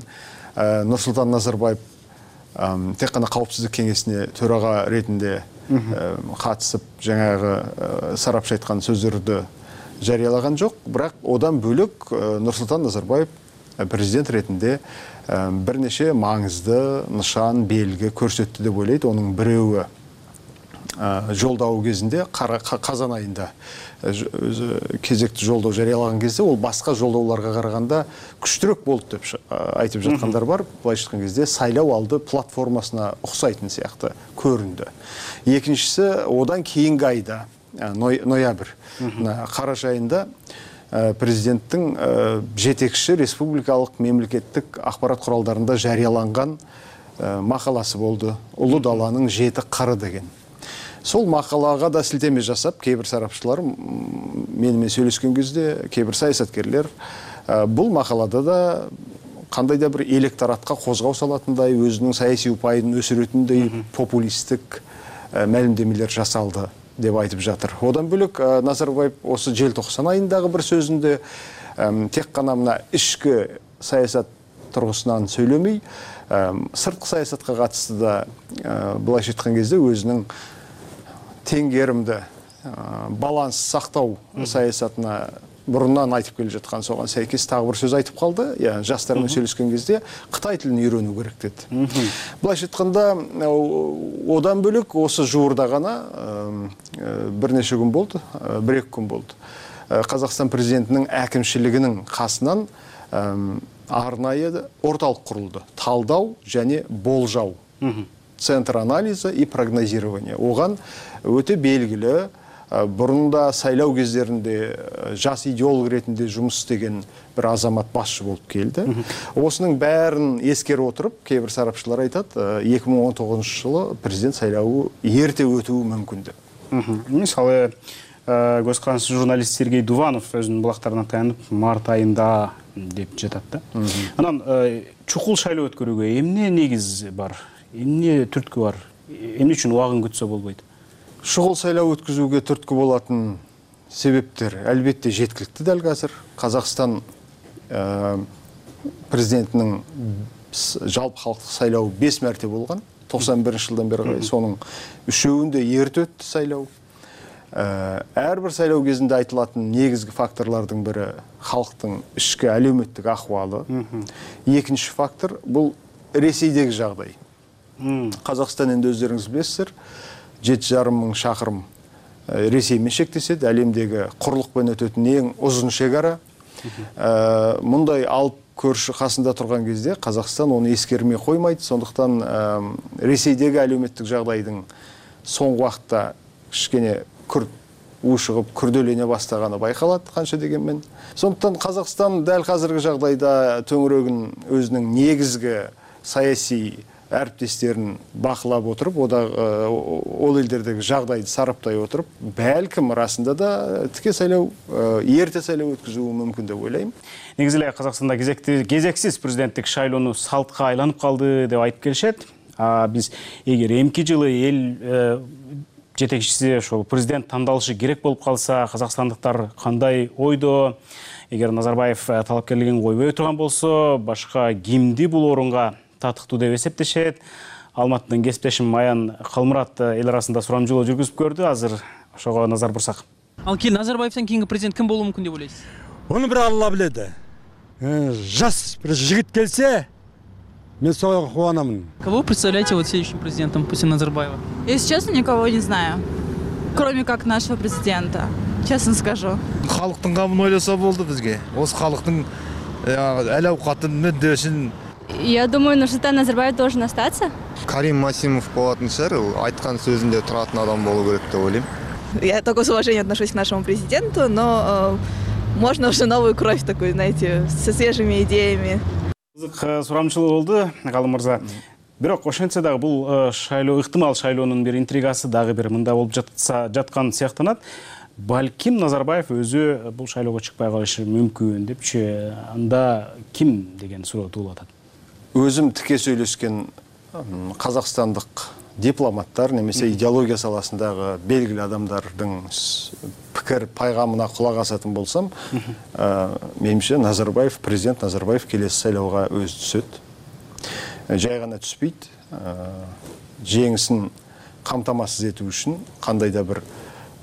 Нұрсұлтан Назарбаев тек қана қауіпсіздік кеңесіне төраға ретінде қатысып, жаңағы сарапшы айтқан сөздерді жариялаған жоқ. Бірақ одан бөлек Нұрсұлтан Назарбаев президент ретінде бірнеше маңызды нышан, белгі көрсетті деп ойлайды. Оның біреуі жолдауы кезинде казан айында өзү кезекти жолдоо жарыялаган кезде ол башка жолдоолорго караганда күчтүүрөөк болду деп айтып жаткандар бар. Былайча айткан кезде сайлоо алды платформасына окшойтун сыяктуу көрүндү. Экинчиси одан кийинки айда ноябрь караша айында президенттин жетекчи республикалык мемлекеттик акпарат куралдарында жарыяланган макаласы болду. Улуу даланын 7 кыры деген. Сол макалага да силтеме жасап, кээ бир сарапчылар менен сүйлөшкөн кезде, кээ бир саясаткерлер бул макалада да кандайда бир электоратка козгоо салатындай, өзүнүн саясий упайын өсүрөтүндөй популисттик маалимдемелер жасалды деп айтып жатыр. Одан бөлөк Назарбаев осы желтоқсан айындагы бир сөзүндө тек гана мына ички саясат тургусунан сөйлөмөй, сырткы саясатка катысты да былайча айткан кезде өзүнүн теңгеримди баланс сактоо саясатына бурундан айтып келе жаткан согон сайкес дагы бир сөз айтып калды. Жаштар менен сүйлөшкөн кезде Кытай тилин үйрөнүү керек деди. Былайча айтканда одан бөлөк осы жуурда гана бир нече күн болду, 1-2 күн болду. Казакстан президентинин әкимчилигинин касынан арнайы орталык курулду. Талдау және болжау. Центр анализа и прогнозирования. Оган өтө белгилүү бурунда сайлау кездеринде жас идеолог ретинде жумуш істеген бир азамат башчы болуп келди. Осунун баарын эскерип отуруп, кээ бир сарапчылар айтат, 2019-жылы президент сайлауы эрте өтүүі мүмкүн деп. Мисалы, көз карандысыз журналист Сергей Дуванов өзүнүн булактарына таянып, март айында деп жатат да. Анан чукул шайлоо өткөрүүгө эмне негиз бар? Эмне түрткү бар? Эмне үчүн убагын күтсө болбойт? Шұғыл сайлау өткізуге түрткі болатын себептер әлбетте жеткілікті дәл қазір. Қазақстан президентінің жалпы халықтық сайлауы 5 мәрте болған. 91 жылдан бері қарай соның 3-өүндө ерте өтті сайлау. Әрбір сайлау кезінде айтылатын негізгі факторлардың бірі халықтың ішкі әлеуметтік ахуалы. Екінші фактор бұл Ресейдегі жағдай. Қазақстан енді өздеріңіз білесіздер, 7,5 мың шақырым Ресеймен шектеседі, әлемдегі құрлықпен өтетін ең ұзын шекара. Мұндай алып көрші қасында тұрған кезде Қазақстан оны ескермей қоймайды. Сондықтан Ресейдегі әлеуметтік жағдайдың соңғы уақытта кішкене ушығып күрделене бастағаны байқалады қанша дегенмен. Сондықтан Қазақстан дәл қазіргі жағдайда төңірегін өзінің негізгі саяси әріптестерін бақылап отырып, ол елдердегі жағдайды сараптай отырып, бәлкім расында да тіке сайлау, ерте сайлау өткізуі мүмкін деп ойлаймын. Негізілі Қазақстанда кезексіз президенттік шайлоону салтқа айланып қалды деп айтып келишет. Біз егер эмки жылы ел жетекчиси ошол президент тандалышы керек болуп калса, казакстандыктар кандай ойдо? Эгер Назарбаев талапкерлигин койбой турган болсо, башка кимди бул орунга татыктуу деп эсептешет. Алматыдан кесиптешим Аян Калмурат эл арасында сурамжылоо жүргүзүп көрдү. Азыр ошого назар бурсак. Ал Назарбаевден кийинки президент ким болушу мүмкүн деп ойлойсуз? Onu bir Алла билет. Жас bir жигит келсе, мен сого кубанамын. Кого вы представляете вот следующим президентом после Назарбаева? Если честно, никого не знаю. Кроме как нашего президента. Честно скажу. Халыктын камын ойлосо болду бизге. Осы халыктын әл-аукатын мүддөсүн. Я думаю, Нурсултан Назарбаев должен остаться. Карим Масимов болатын шығар, айткан сөзүндө туратын адам болу керек деп ойлойм. Я только с уважением отношусь к нашему президенту, но можно уже новую кровь такую, знаете, со свежими идеями. Сурамчылык болду, Калым мырза. Бирок ошентсе дагы бул шайлоо, ыктымал шайлоонун бир интригасы дагы бир мында болуп жаткан сыяктанат. Балким Назарбаев өзү бул шайлоого чыкпай калышы мүмкүн депчи, анда ким деген суроо туулуп атат. Өзім тіке сөйлескен қазақстандық дипломаттар немесе идеология саласындағы белгілі адамдардың пікір пайғамына құлақ асатын болсам, менімше президент Назарбаев келесі сайлауға өзі түседі. Жай ғана түспейді, жеңісін қамтамасыз ету үшін, қандай да бір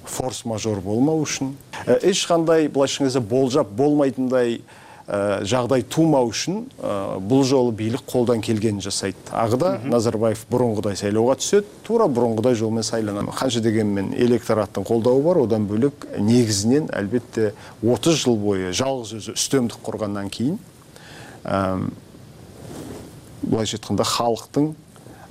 форс-мажор болмау үшін, ешқандай былайша болжап болмайтындай жагдай туумау үчүн бул жолу бийлик колдон келгенин жасайт. Агыда Назарбаев бурунгудай шайлоого түшөт, туура бурунгудай жол менен сайланат. Канча дегенмен электораттын колдообу бар, одан бөлөк негизинен албетте 30 жыл бою жалгыз өзү үстөмдүк кургандан кийин былайча айтканда халыктын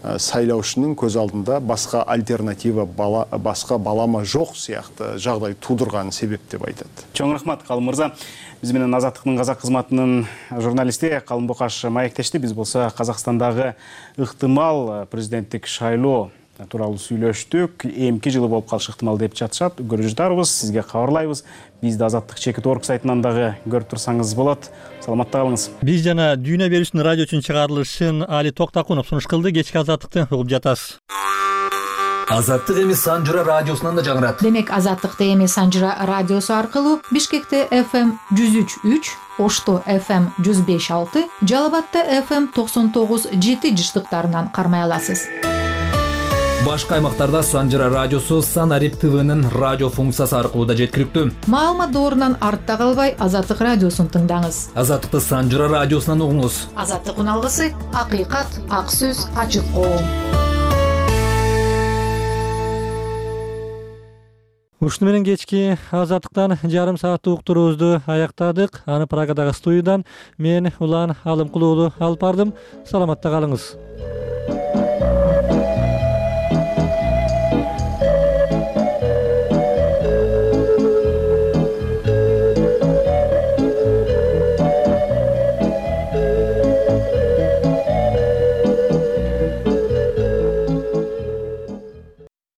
сайлоочунун көз алдында башка альтернатива, башка балама жок сыяктуу жагдай туудурган себеп деп айтат. Чоң рахмат, Калым мырза. Биз менен Азаттыктын казак кызматынын журналисти Калым Бокаш маектешти. Биз болсо Казакстандагы ыктымал президенттик шайлоо тууралуу сүйлөштүк. Эмки жылы болуп калышы ыктымал деп жатышат. Көрүп жатарбыз, сизге кабарлайбыз. Бизди Азаттык чекит орг сайтынан дагы көрүп турсаңыз болот. Саламатта калыңыз. Биз жана Дүйнө берүүчүнүн радио үчүн чыгарылышын Али Токтакунов сунуш кылды. Кечки Азаттыкты угуп жатасыз. Азаттык эми Санжыра радиосунан да жаңырат. Демек Азаттыкты эми Санжыра радиосу аркылуу Бишкекте FM 103.3, Ошто FM 105.6, Жалал-Абадта FM 99.7 жыштыктарынан кармай аласыз. Башка аймактарда Санжыра радиосу Санарип ТВнын радио функциясы аркылуу да жеткиликтүү. Маалымат доорунан артта калбай Азаттык радиосун тыңдаңыз. Азаттыкты Санжыра радиосунан угуңуз. Азаттыктын алгысы акыйкат, ак сөз, ачык коом. Ушуну менен кечки Азаттыктан жарым сааттык уктуруубузду аяктадык. Аны Прагадагы студиядан мен Улан Алымкулуулу алып бардым. Саламатта калыңыз.